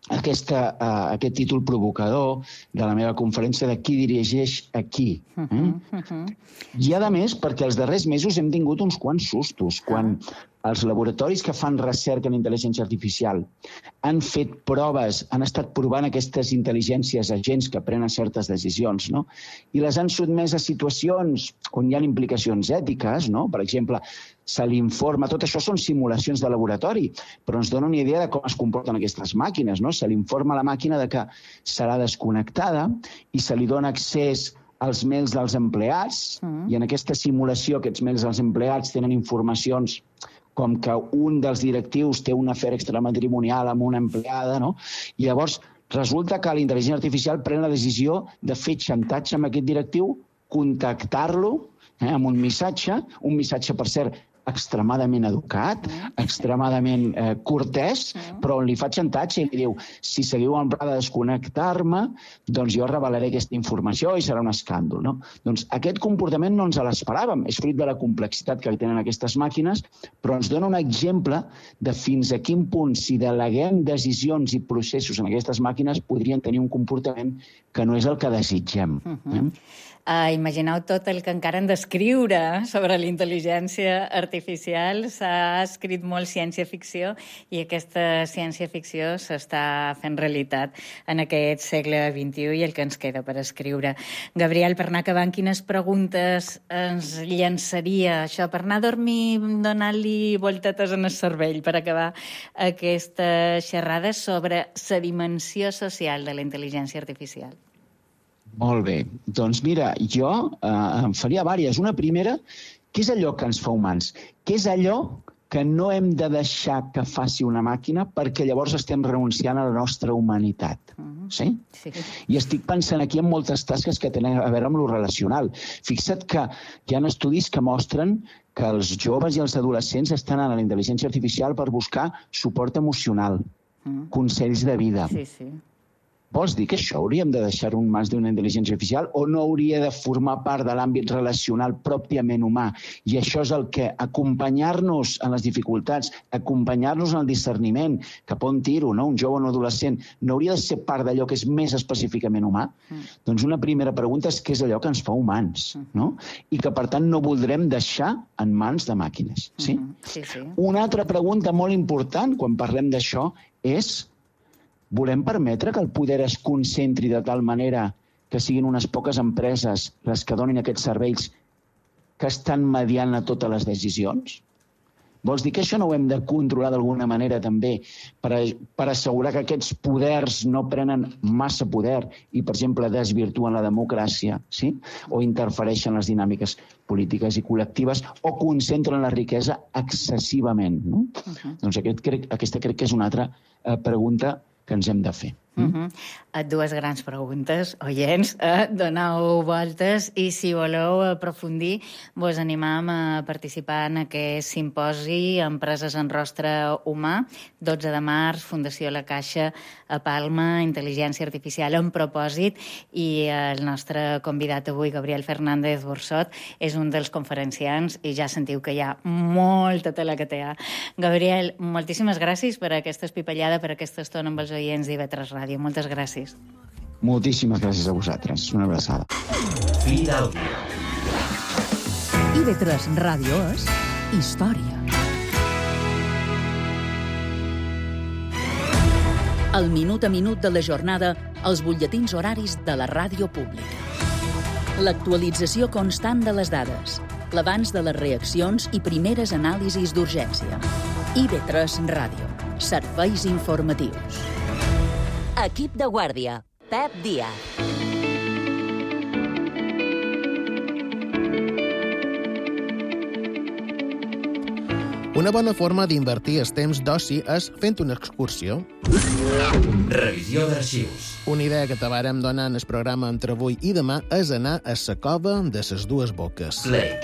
aquesta, uh, aquest títol provocador de la meva conferència de qui dirigeix aquí. Eh? Uh-huh, uh-huh. I, a més, perquè els darrers mesos hem tingut uns quants sustos. Quan els laboratoris que fan recerca en intel·ligència artificial han fet proves, han estat provant aquestes intel·ligències agents que prenen certes decisions, no? I les han sotmès a situacions on hi ha implicacions ètiques, no? Per exemple, se li informa... Tot això són simulacions de laboratori, però ens dona una idea de com es comporten aquestes màquines, no? Se li informa a la màquina de que serà desconnectada i se li dona accés als mails dels empleats, mm. i en aquesta simulació aquests mails dels empleats tenen informacions com que un dels directius té un afer extramatrimonial amb una empleada, no? I llavors Resulta que la intel·ligència artificial pren la decisió de fer xantatge amb aquest directiu, contactar-lo eh, amb un missatge, un missatge, per cert, extremadament educat, extremadament eh, cortès, però li fa xantatge i li diu, si seguiu en pla de desconnectar-me, doncs jo revelaré aquesta informació i serà un escàndol. No? Doncs aquest comportament no ens l'esperàvem, és fruit de la complexitat que tenen aquestes màquines, però ens dona un exemple de fins a quin punt, si deleguem decisions i processos en aquestes màquines, podrien tenir un comportament que no és el que desitgem. Uh-huh. eh? Uh, imagineu tot el que encara han d'escriure sobre la intel·ligència artificial. S'ha escrit molt ciència-ficció i aquesta ciència-ficció s'està fent realitat en aquest segle vint-i-u i el que ens queda per escriure. Gabriel, per anar acabant, quines preguntes ens llançaria això, per anar a dormir donant-li voltetes en el cervell, per acabar aquesta xerrada sobre la dimensió social de la intel·ligència artificial? Molt bé. Doncs mira, jo eh, em faria vàries. Una primera, què és allò que ens fa humans? Què és allò que no hem de deixar que faci una màquina perquè llavors estem renunciant a la nostra humanitat? Sí? Sí. I estic pensant aquí en moltes tasques que tenen a veure amb lo relacional. Fixa't que hi ha estudis que mostren que els joves i els adolescents estan a la intel·ligència artificial per buscar suport emocional, mm. consells de vida. Sí, sí. Vols dir que això hauríem de deixar un mans d'una intel·ligència artificial o no hauria de formar part de l'àmbit relacional pròpiament humà? I això és el que acompanyar-nos en les dificultats, acompanyar-nos en el discerniment, cap on tiro, no? Un jove o un adolescent, no hauria de ser part d'allò que és més específicament humà? Mm. Doncs una primera pregunta és què és allò que ens fa humans, no? I que, per tant, no voldrem deixar en mans de màquines. Sí? Mm-hmm. Sí, sí. Una altra pregunta molt important quan parlem d'això és: volem permetre que el poder es concentri de tal manera que siguin unes poques empreses les que donin aquests serveis que estan mediant a totes les decisions? Vols dir que això no ho hem de controlar d'alguna manera també per, a, per assegurar que aquests poders no prenen massa poder i, per exemple, desvirtuen la democràcia, sí? O interfereixen les dinàmiques polítiques i col·lectives o concentren la riquesa excessivament, no? Uh-huh. Doncs aquest, crec, aquesta crec que és una altra eh, pregunta que ens hem de fer. Uh-huh. Dues grans preguntes, oients, eh? Doneu voltes i si voleu aprofundir vos animam a participar en aquest simposi Empreses en rostre humà, dotze de març, Fundació La Caixa a Palma, Intel·ligència Artificial en propòsit, i el nostre convidat avui, Gabriel Fernández Borsot, és un dels conferenciants i ja sentiu que hi ha molta tela que té. Gabriel, moltíssimes gràcies per aquesta espipallada, per aquesta estona amb els oients d'I V tres Ràdio. Moltes gràcies. Moltíssimes gràcies a vosaltres. Una abraçada. Fi d'àudio. I V tres Ràdio és història. El minut a minut de la jornada als butlletins horaris de la ràdio pública. L'actualització constant de les dades, l'abans de les reaccions i primeres anàlisis d'urgència. I V tres Ràdio. Serveis informatius. Equip de guàrdia. Pep Díaz. Una bona forma d'invertir el temps d'oci és fent una excursió. Revisió d'arxius. Una idea que t'avarem donar en el programa entre avui i demà és anar a la cova de les dues boques. Play.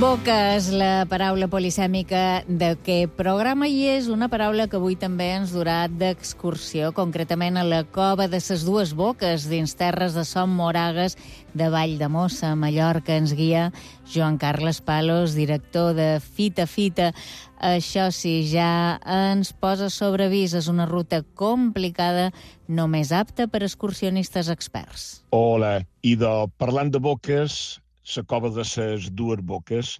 Boca és la paraula polisèmica d'aquest programa i és una paraula que avui també ens durà d'excursió, concretament a la cova de ses dues boques dins terres de Som Moragues de Valldemossa, a Mallorca. Ens guia Joan Carles Palos, director de Fita Fita. Això sí, ja ens posa sobre avís. És una ruta complicada, només apta per excursionistes experts. Hola, i de, parlant de boques, la cova de ses dues boques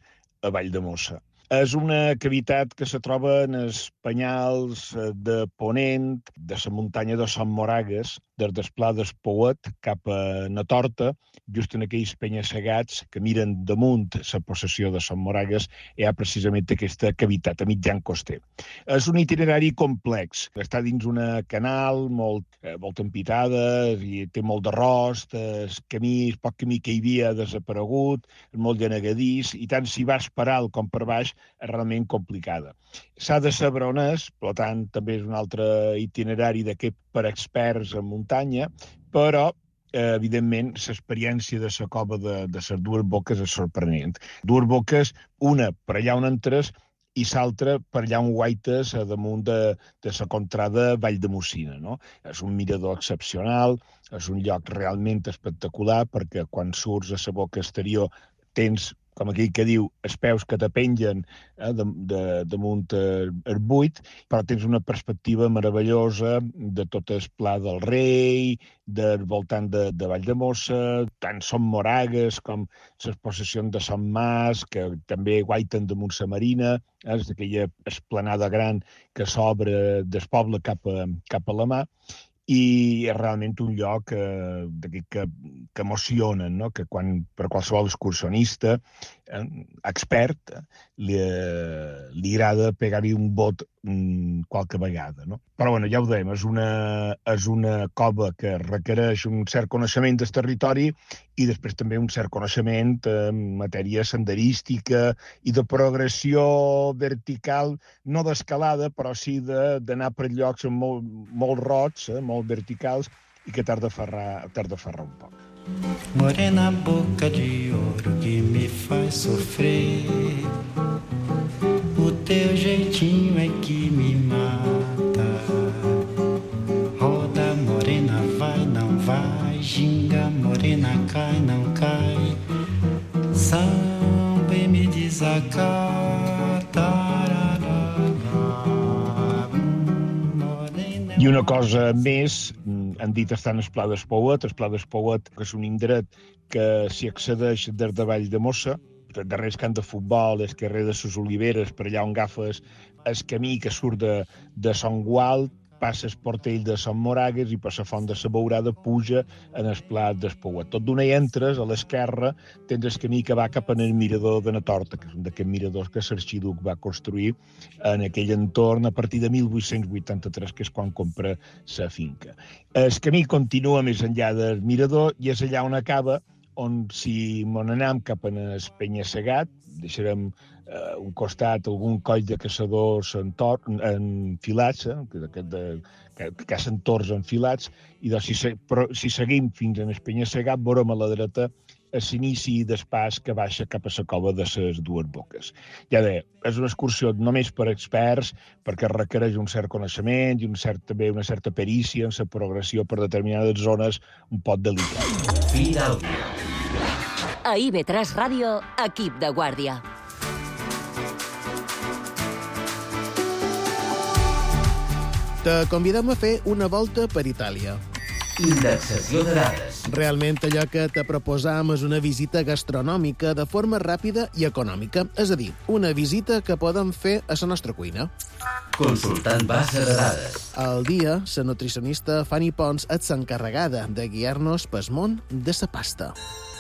a Valldemossa. És una cavitat que se troba en els penyals de Ponent, de la muntanya de Son Moragues, des del Pla d'Espouet cap a na Torta, just en aquells penya-segats que miren damunt la possessió de Son Moragues, hi ha precisament aquesta cavitat a mitjan coster. És un itinerari complex. Està dins una canal molt, eh, molt empitada, i té molt d'arròs, el camí, el poc camí que hi havia ha desaparegut, és molt genegadís, i tant si vas per alt com per baix és realment complicada. S'ha de saber on és, per tant, també és un altre itinerari d'aquest per experts en muntanya, però eh, evidentment, l'experiència de la cova de, de les dues boques és sorprenent. Dues boques, una per allà on entres i l'altra per allà on guaites a damunt de, de la contrada Vall de Mocina. No? És un mirador excepcional, és un lloc realment espectacular, perquè quan surts a la boca exterior tens, com aquell que diu, els peus que te pengen eh, de, de, damunt el buit, però tens una perspectiva meravellosa de tot el Pla del Rei, del voltant de, de Vall de Mossa, tant Son Moragues com les possessions de Son Mas, que també guaiten damunt la Marina, eh, és aquella esplanada gran que s'obre del poble cap a, cap a la mar, i és realment un lloc eh, que, que emociona, no? Que quan, per qualsevol excursionista, eh, expert, li, li agrada pegar-hi un bot mm, qualque vegada. No? Però bueno, ja ho dèiem, és una, és una cova que requereix un cert coneixement del territori i després també un cert coneixement en matèria senderística i de progressió vertical, no d'escalada, però sí d'anar per llocs molt, molt rots, eh, molt verticals, i que t'has de ferrar, t'has de ferrar un poc. Morena boca de ouro que me faz sofrer, o teu jeitinho é que me mata. Roda morena, vai, não vai, ginga morena, cai, não cai, samba e me desacata. I una cosa més, han dit estar en el Pla d'Espouet. El Pla d'Espouet, que és un indret que s'hi accedeix des de Vall de Mossa, darrere el camp de futbol, el carrer de les Oliveres, per allà on agafes el camí que surt de, de Son Gual, passes Portell de Son Moragues i per la Font de la Beurada puja en el Pla d'Espouet. Tot d'una hi entres, a l'esquerra tens el camí que va cap en el mirador de na Torta, que és un d'aquests miradors que l'Arxiduc va construir en aquell entorn a partir de mil vuit-cents vuitanta-tres, que és quan compra la finca. El camí continua més enllà del mirador i és allà on acaba, on si mon anem cap en el penya-segat, deixarem eh, un costat algun coll de caçadors enfilats, eh, que, de, que, que cacen tords enfilats, i doncs, si, però, si seguim fins en el penya-segat, veurem a la dreta l'inici del pas que baixa cap a la cova de les dues boques. Ja deia, és una excursió només per experts, perquè requereix un cert coneixement i un cert, també una certa perícia en la progressió per determinades zones un poc delicades. Fi d'àudio. A I V tres Ràdio, equip de guàrdia. Te convidem a fer una volta per Itàlia. Indexació de dades. Realment allò que te proposam és una visita gastronòmica de forma ràpida i econòmica, és a dir, una visita que podem fer a la nostra cuina. Consultant base de dades. Al dia, la nutricionista Fanny Pons és l'encarregada de guiar-nos pel món de la pasta.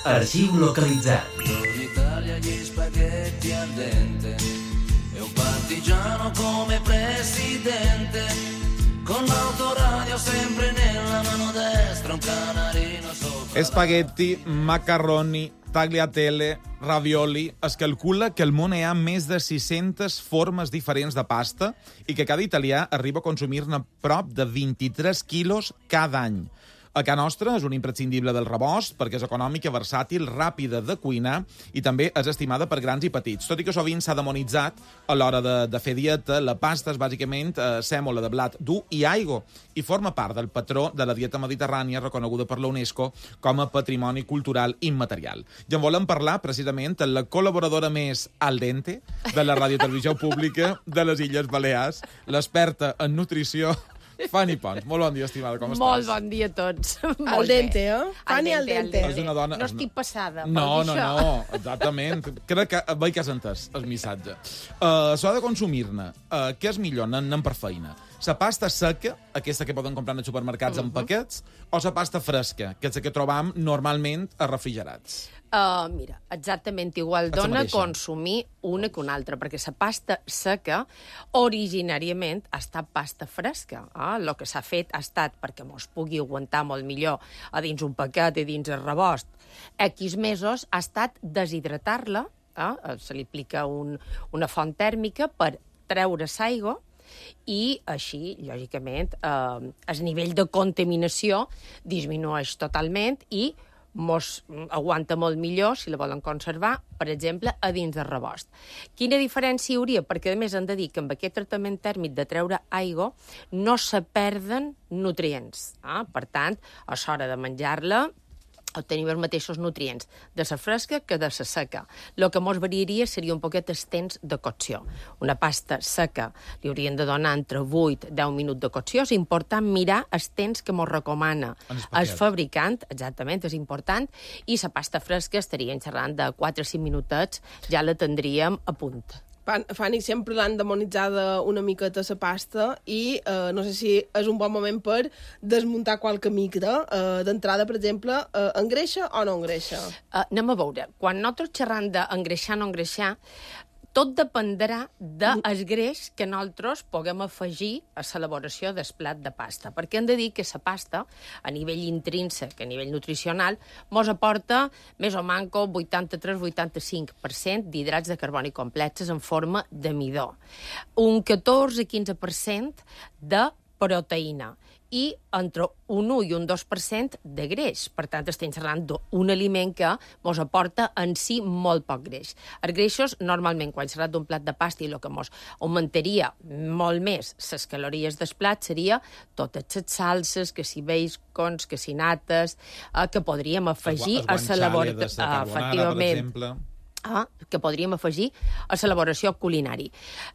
Arxiu localitzat. In Italia gli spaghetti al dente e un partigiano come presidente con l'autoradio sempre nella mano destra un canarino sopra. Spaghetti, macarroni, tagliatelle, ravioli. Es calcula que al món hi ha més de sis-centes formes diferents de pasta i que cada italià arriba a consumir-ne prop de vint-i-tres quilos cada any. A casa nostra és un imprescindible del rebost perquè és econòmica, versàtil, ràpida de cuinar i també és estimada per grans i petits. Tot i que sovint s'ha demonitzat a l'hora de, de fer dieta, la pasta és bàsicament eh, sèmola de blat dur i aigua i forma part del patró de la dieta mediterrània reconeguda per la UNESCO com a patrimoni cultural immaterial. I en volem parlar precisament amb la col·laboradora més al dente de la Ràdio Televisió Pública de les Illes Balears, l'experta en nutrició Fanny Pons, molt bon dia, estimada, com estàs? Molt bon dia a tots. Al dente, eh? Fanny al dente. És una dona... No estic passada, No, per no, dir això. no, exactament. Crec que veig que has entès el missatge. Uh, S'ha de consumir-ne. Uh, què és millor? Anem per feina. La pasta seca, aquesta que poden comprar als supermercats uh -huh. en paquets, o la pasta fresca, que és la que trobam normalment a refrigerats? Uh, mira, exactament igual És la dona mateixa. consumir una que una altra, perquè la pasta seca originàriament ha estat pasta fresca. Eh? El que s'ha fet ha estat perquè mos pugui aguantar molt millor a dins un paquet i dins el rebost. X mesos ha estat deshidratar-la, eh? Se li aplica un, una font tèrmica per treure l'aigua i així, lògicament, eh, el nivell de contaminació disminueix totalment i mos aguanta molt millor, si la volen conservar, per exemple, a dins del rebost. Quina diferència hi hauria? Perquè, a més, hem de dir que amb aquest tractament tèrmic de treure aigua no se perden nutrients. Eh? Per tant, a l'hora de menjar-la, obtenim els mateixos nutrients de la fresca que de la seca. El que mos variaria seria un poquet els temps de cocció. Una pasta seca li haurien de donar entre vuit i deu minuts de cocció. És important mirar els temps que mos recomana el fabricant, exactament, és important, i la pasta fresca estaríem xerrant de quatre o cinc minutets, ja la tindríem a punt. Fanny, sempre l'han demonitzada una miqueta la pasta i eh, no sé si és un bon moment per desmuntar qualque mite. Eh, D'entrada, per exemple, eh, engreixa o no engreixa? Uh, anem a veure. Quan nosaltres xerram d'engreixar o no engreixar, tot dependrà del greix que nosaltres puguem afegir a l'elaboració del plat de pasta. Perquè hem de dir que la pasta, a nivell intrínsec, a nivell nutricional, mos aporta més o manco vuitanta-tres a vuitanta-cinc per cent d'hidrats de carboni complexes en forma de midó. Un catorze a quinze per cent de proteïna i entre un un i un dos per cent de greix. Per tant, estem parlant d'un aliment que mos aporta en si molt poc greix. Els greixos, normalment, quan s'ha d'un plat de pasta i el que mos augmentaria molt més les calories del plat seria totes les salses, que si bacons, que si nates, eh, que podríem afegir a l'elaboració. Efectivament. Ah, que podríem afegir a l'elaboració culinari.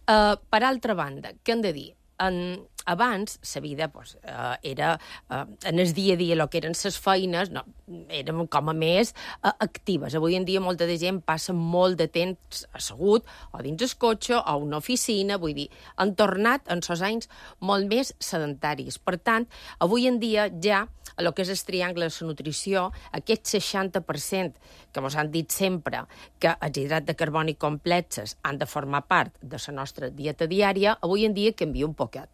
Uh, per altra banda, què hem de dir? En, abans, la vida pues, uh, era, uh, en el dia a dia, el que eren les feines, no, érem com a més uh, actives. Avui en dia molta de gent passa molt de temps assegut, o dins el cotxe, o a una oficina, vull dir, han tornat en sos anys molt més sedentaris. Per tant, avui en dia ja, a lo que és el triangle de la nutrició, aquest seixanta per cent que ens han dit sempre que els hidrats de carboni complexes han de formar part de la nostra dieta diària, avui en dia canvia un poquet.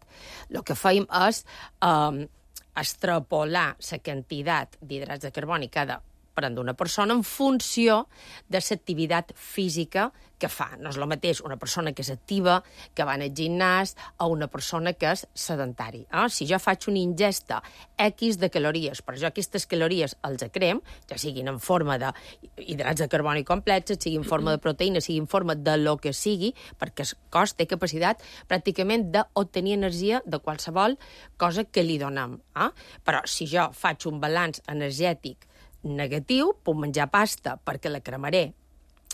El que fem és eh, extrapolar la quantitat d'hidrats de carboni que ha de prendre una persona en funció de l'activitat física que fa. No és el mateix una persona que és activa, que va al gimnàs, o una persona que és sedentari. Eh? Si jo faig una ingesta X de calories, però jo aquestes calories els crem, ja siguin en forma d'hidrats de carboni complexes, sigui en forma de proteïna, sigui en forma de lo que sigui, perquè el cos té capacitat pràcticament d'obtenir energia de qualsevol cosa que li donem. Eh? Però si jo faig un balanç energètic negatiu, puc menjar pasta perquè la cremaré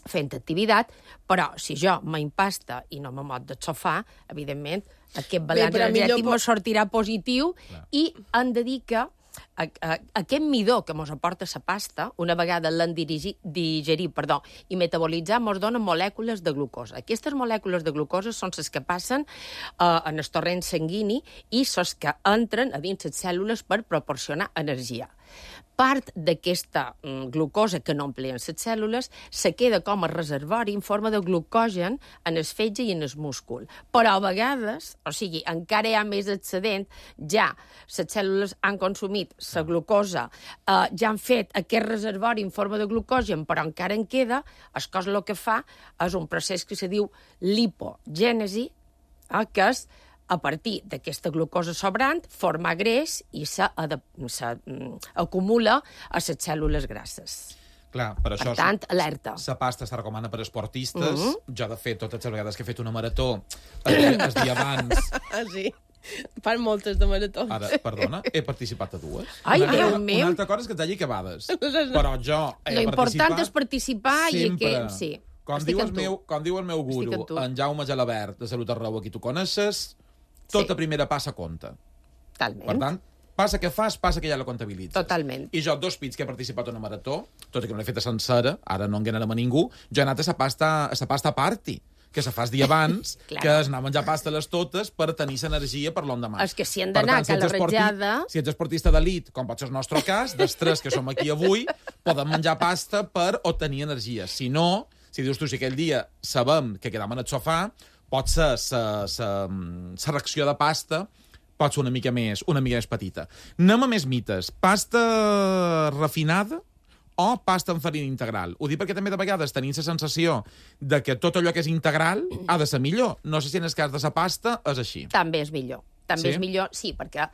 fent activitat, però si jo m'impasta i no me mot del sofà, evidentment, aquest balanç Bé, energètic millor... me sortirà positiu. Clar. I hem de dir que a, a, aquest midó que ens aporta la pasta, una vegada l'hem digerit perdó, i metabolitzat, ens dona molècules de glucosa. Aquestes molècules de glucosa són les que passen uh, en el torrent sanguini i les que entren a dins les cèl·lules per proporcionar energia. Part d'aquesta mm, glucosa que no empleen les cèl·lules se queda com a reservori en forma de glucogen en el fetge i en el múscul. Però a vegades, o sigui, encara hi ha més excedent, ja les cèl·lules han consumit la glucosa, eh, ja han fet aquest reservori en forma de glucogen, però encara en queda, el cos el que fa és un procés que se diu lipogènesi, eh, que és a partir d'aquesta glucosa sobrant, formar greix i s'acumula a les cèl·lules grasses. Clar, per això... Per tant, alerta. La pasta es recomana per esportistes. Uh -huh. Jo, de fet, totes les vegades que he fet una marató, el dia, el dia abans... Ah, sí? Fan moltes de maratons. Ara, perdona, he participat a dues. Ai, una, Déu una, meu! Una altra cosa és que et hagi acabades. Però jo he Lo important és participar sempre. I que... Sí. Com diu, el meu, com diu el meu guru, en, en Jaume Gelabert, de Salut Arreu, aquí tu coneixes, tota sí. primera passa compta. Totalment. Per tant, passa que fas, passa que ja la comptabilitzes. Totalment. I jo, dos pits que he participat en una marató, tot i que no l'he feta sencera, ara no enganarem a ningú, jo he anat a la pasta, a la pasta party, que se fa el dia abans, Claro. que és anar a menjar pasta les totes per tenir l'energia per l'endemà. És que si han d'anar a la ratllada... Si ets esportista d'elit, com pot ser el nostre cas, dels tres que som aquí avui, podem menjar pasta per obtenir energia. Si no, si dius tu, si aquell dia sabem que quedam en el sofà, pot ser la reacció de pasta pot ser una mica més, una mica més petita. Anem a més mites. Pasta refinada o pasta amb farina integral? Ho dic perquè també de vegades tenim la sensació de que tot allò que és integral ha de ser millor. No sé si en el cas de la pasta és així. També és millor. També Sí? és millor, sí, perquè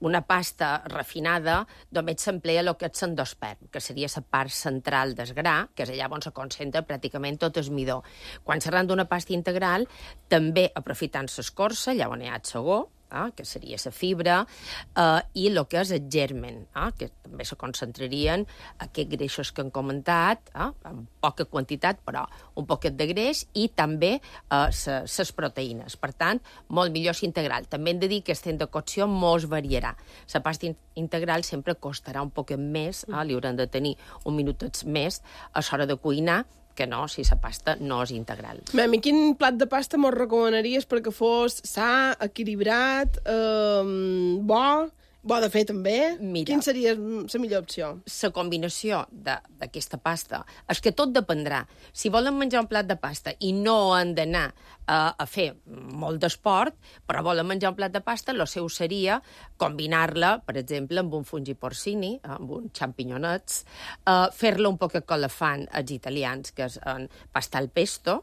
una pasta refinada només s'emplea el que és l'endosperm, que seria la part central del gra, que és allà on se concentra pràcticament tot el midó. Quan s'arran d'una pasta integral, també aprofitant l'escorça, allà on hi ha el segó, eh, que seria la fibra, eh, i el que és el germen, eh, que també se concentrarien aquests greixos que hem comentat, eh, en poca quantitat, però un poquet de greix, i també les eh, proteïnes. Per tant, molt millor s'integral. També hem de dir que el temps de cocció mos variarà. La pasta in integral sempre costarà un poquet més, eh, li hauran de tenir un minutets més a l'hora de cuinar, que no, si la pasta no és integral. Mem, i quin plat de pasta mos recomanaries perquè fos sa, equilibrat, eh, bo, bo de fer també? Mira, Quin seria la millor opció? La combinació d'aquesta pasta és que tot dependrà. Si volen menjar un plat de pasta i no han d'anar a, a fer molt d'esport, però volen menjar un plat de pasta, el seu seria combinar-la, per exemple, amb un fungi porcini, amb uns xampinyonets, eh, fer-la un poquet com la fan els italians, que és en pasta al pesto,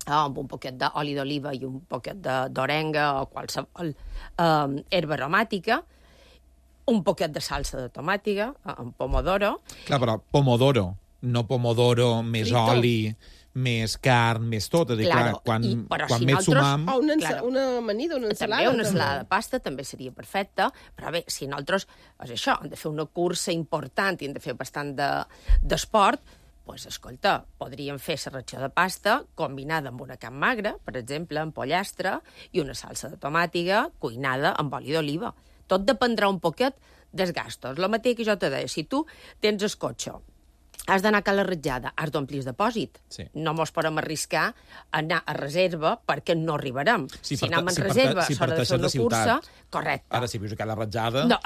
eh, amb un poquet d'oli d'oliva i un poquet d'orenga o qualsevol eh, herba aromàtica, un poquet de salsa de tomàtiga, amb pomodoro. Clar, però pomodoro, no pomodoro, més Frito. oli, més carn, més tot. És a dir, clar, Claro, quan, i- però quan si més nosaltres- sumam... O una, Claro. una amanida, una ensalada. També una també. ensalada de pasta també seria perfecta, però bé, si nosaltres, és això, hem de fer una cursa important i hem de fer bastant d'esport, de, pues, escolta, podríem fer la ratxa de pasta combinada amb una carn magra, per exemple, amb pollastre, i una salsa de tomàtiga cuinada amb oli d'oliva. Tot dependrà un poquet dels gastos. El mateix que jo te deia, si tu tens el cotxe, has d'anar a la ratjada, has d'omplir el depòsit. Sí. No mos podem arriscar a anar a reserva perquè no arribarem. Sí, si per- anem en si per- reserva, si a l'hora de parteixes fer una de ciutat. cursa, correcte. Ara, si vius a la ratjada... No.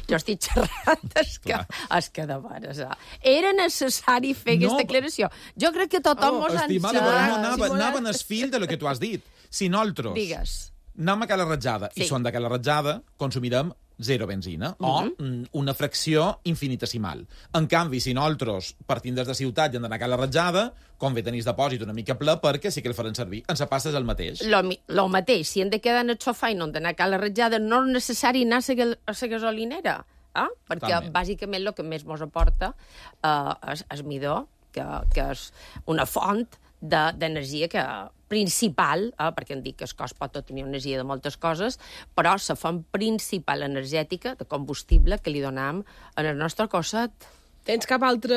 Jo estic xerrant, és que, és que de veres, eh? Era necessari fer No, aquesta declaració. Jo crec que tothom mos ha Estimada, però no anava, Sí, anava en el fil de lo que tu has dit. Si nosaltres Digues. anem a la ratjada Sí. i són de la ratjada, consumirem zero benzina, o mm, una fracció infinitesimal. En canvi, si nosaltres partim des de ciutat i hem d'anar a la ratjada, convé tenir el depòsit una mica ple perquè sí que el faran servir. En la pasta és el mateix. Lo, mi- lo mateix, si hem de quedar en el sofà i no hem d'anar a la ratjada, no és necessari anar a la, a la gasolinera, eh? perquè Totalment. bàsicament el que més mos aporta eh, és, és midó, que, que és una font de- d'energia que principal, eh, perquè em dic que el cos pot tenir energia de moltes coses, però la font principal energètica de combustible que li donam en el nostre cosset. Tens cap altre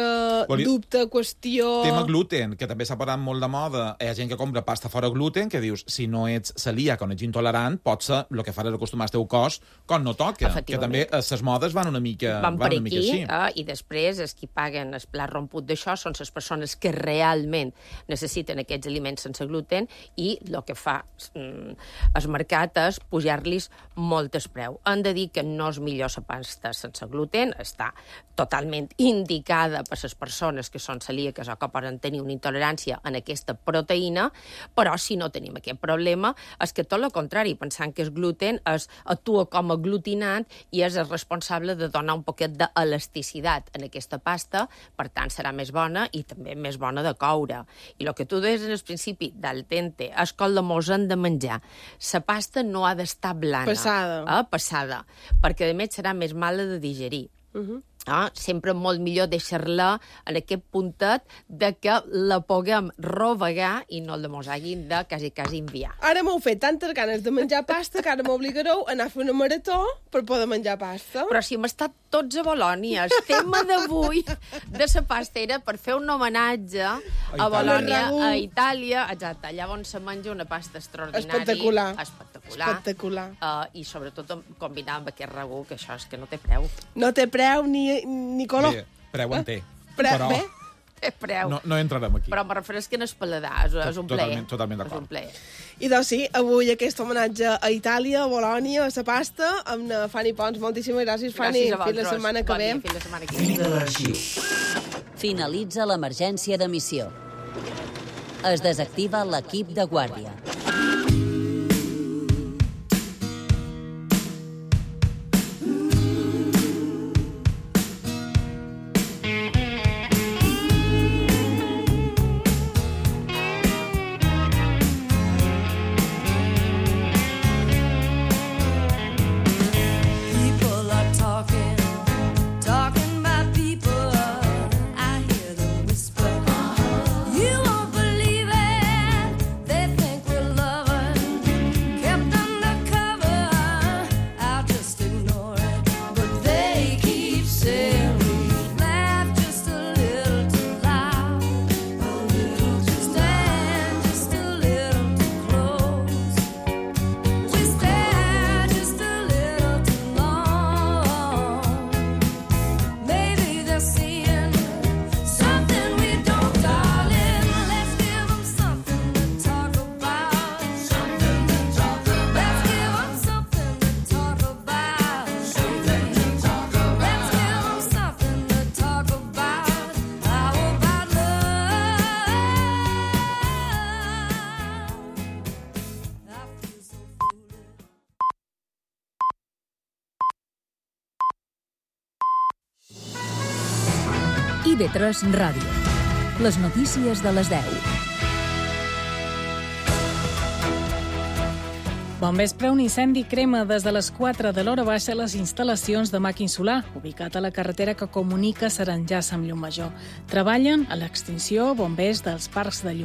Voli- dubte, qüestió... Tema gluten, que també s'ha posat molt de moda. Hi ha gent que compra pasta fora gluten, que dius, si no ets celíac o no ets intolerant, pot ser el que faràs acostumar el teu cos quan no toca. Que Efectivament. també les modes van una mica, Van per van una mica aquí, així. eh, i després els qui paguen el plat romput d'això són les persones que realment necessiten aquests aliments sense gluten, i el que fa mm, el mercat és pujar-los molt el preu. Han de dir que no és millor la pasta sense gluten, està totalment indicada per les persones que són celíaques o que poden tenir una intolerància en aquesta proteïna, però si no tenim aquest problema, és que tot el contrari, pensant que el gluten es, actua com a aglutinant i és el responsable de donar un poquet d'elasticitat en aquesta pasta, per tant serà més bona i també més bona de coure. I el que tu deies en el principi del tente és com la mos hem de menjar. La pasta no ha d'estar blana. Passada. Eh? Passada. Perquè, a més, serà més mala de digerir. Uh -huh. Ah, sempre molt millor deixar-la en aquest puntet de que la puguem rovegar i no la mos hagin de quasi, quasi enviar. Ara m'heu fet tantes ganes de menjar pasta que ara m'obligareu a anar a fer una marató per poder menjar pasta. Però si hem estat tots a Bolònia. El tema d'avui de la pasta era per fer un homenatge a, a Bolònia, a Itàlia, exacte, allà on se menja una pasta extraordinària. Espectacular. Espectacular. Espectacular. Uh, I sobretot combinar amb aquest ragú, que això és que no té preu. No té preu ni, ni color. Bé, preu en té. Pre però... Bé. Té preu. No, no entrarem aquí. Però me refereix que no és paladar, és, és un plaer. Totalment, totalment d'acord. És un plaer. I doncs sí, avui aquest homenatge a Itàlia, a Bolònia, a la pasta, amb Fanny Pons. Moltíssimes gràcies, Fanny. Gràcies a Fins la setmana que bon ve. Dia, fins la setmana que ve. Fi de l'arxiu. Finalitza l'emergència d'emissió. Es desactiva l'equip de guàrdia. I V tres Ràdio. Les notícies de les deu. Bon vespre, un incendi crema des de les quatre de l'hora baixa les instal·lacions de màquin solar, ubicat a la carretera que comunica Saranyàs amb Llumajor. Treballen a l'extinció bombers dels parcs de llum.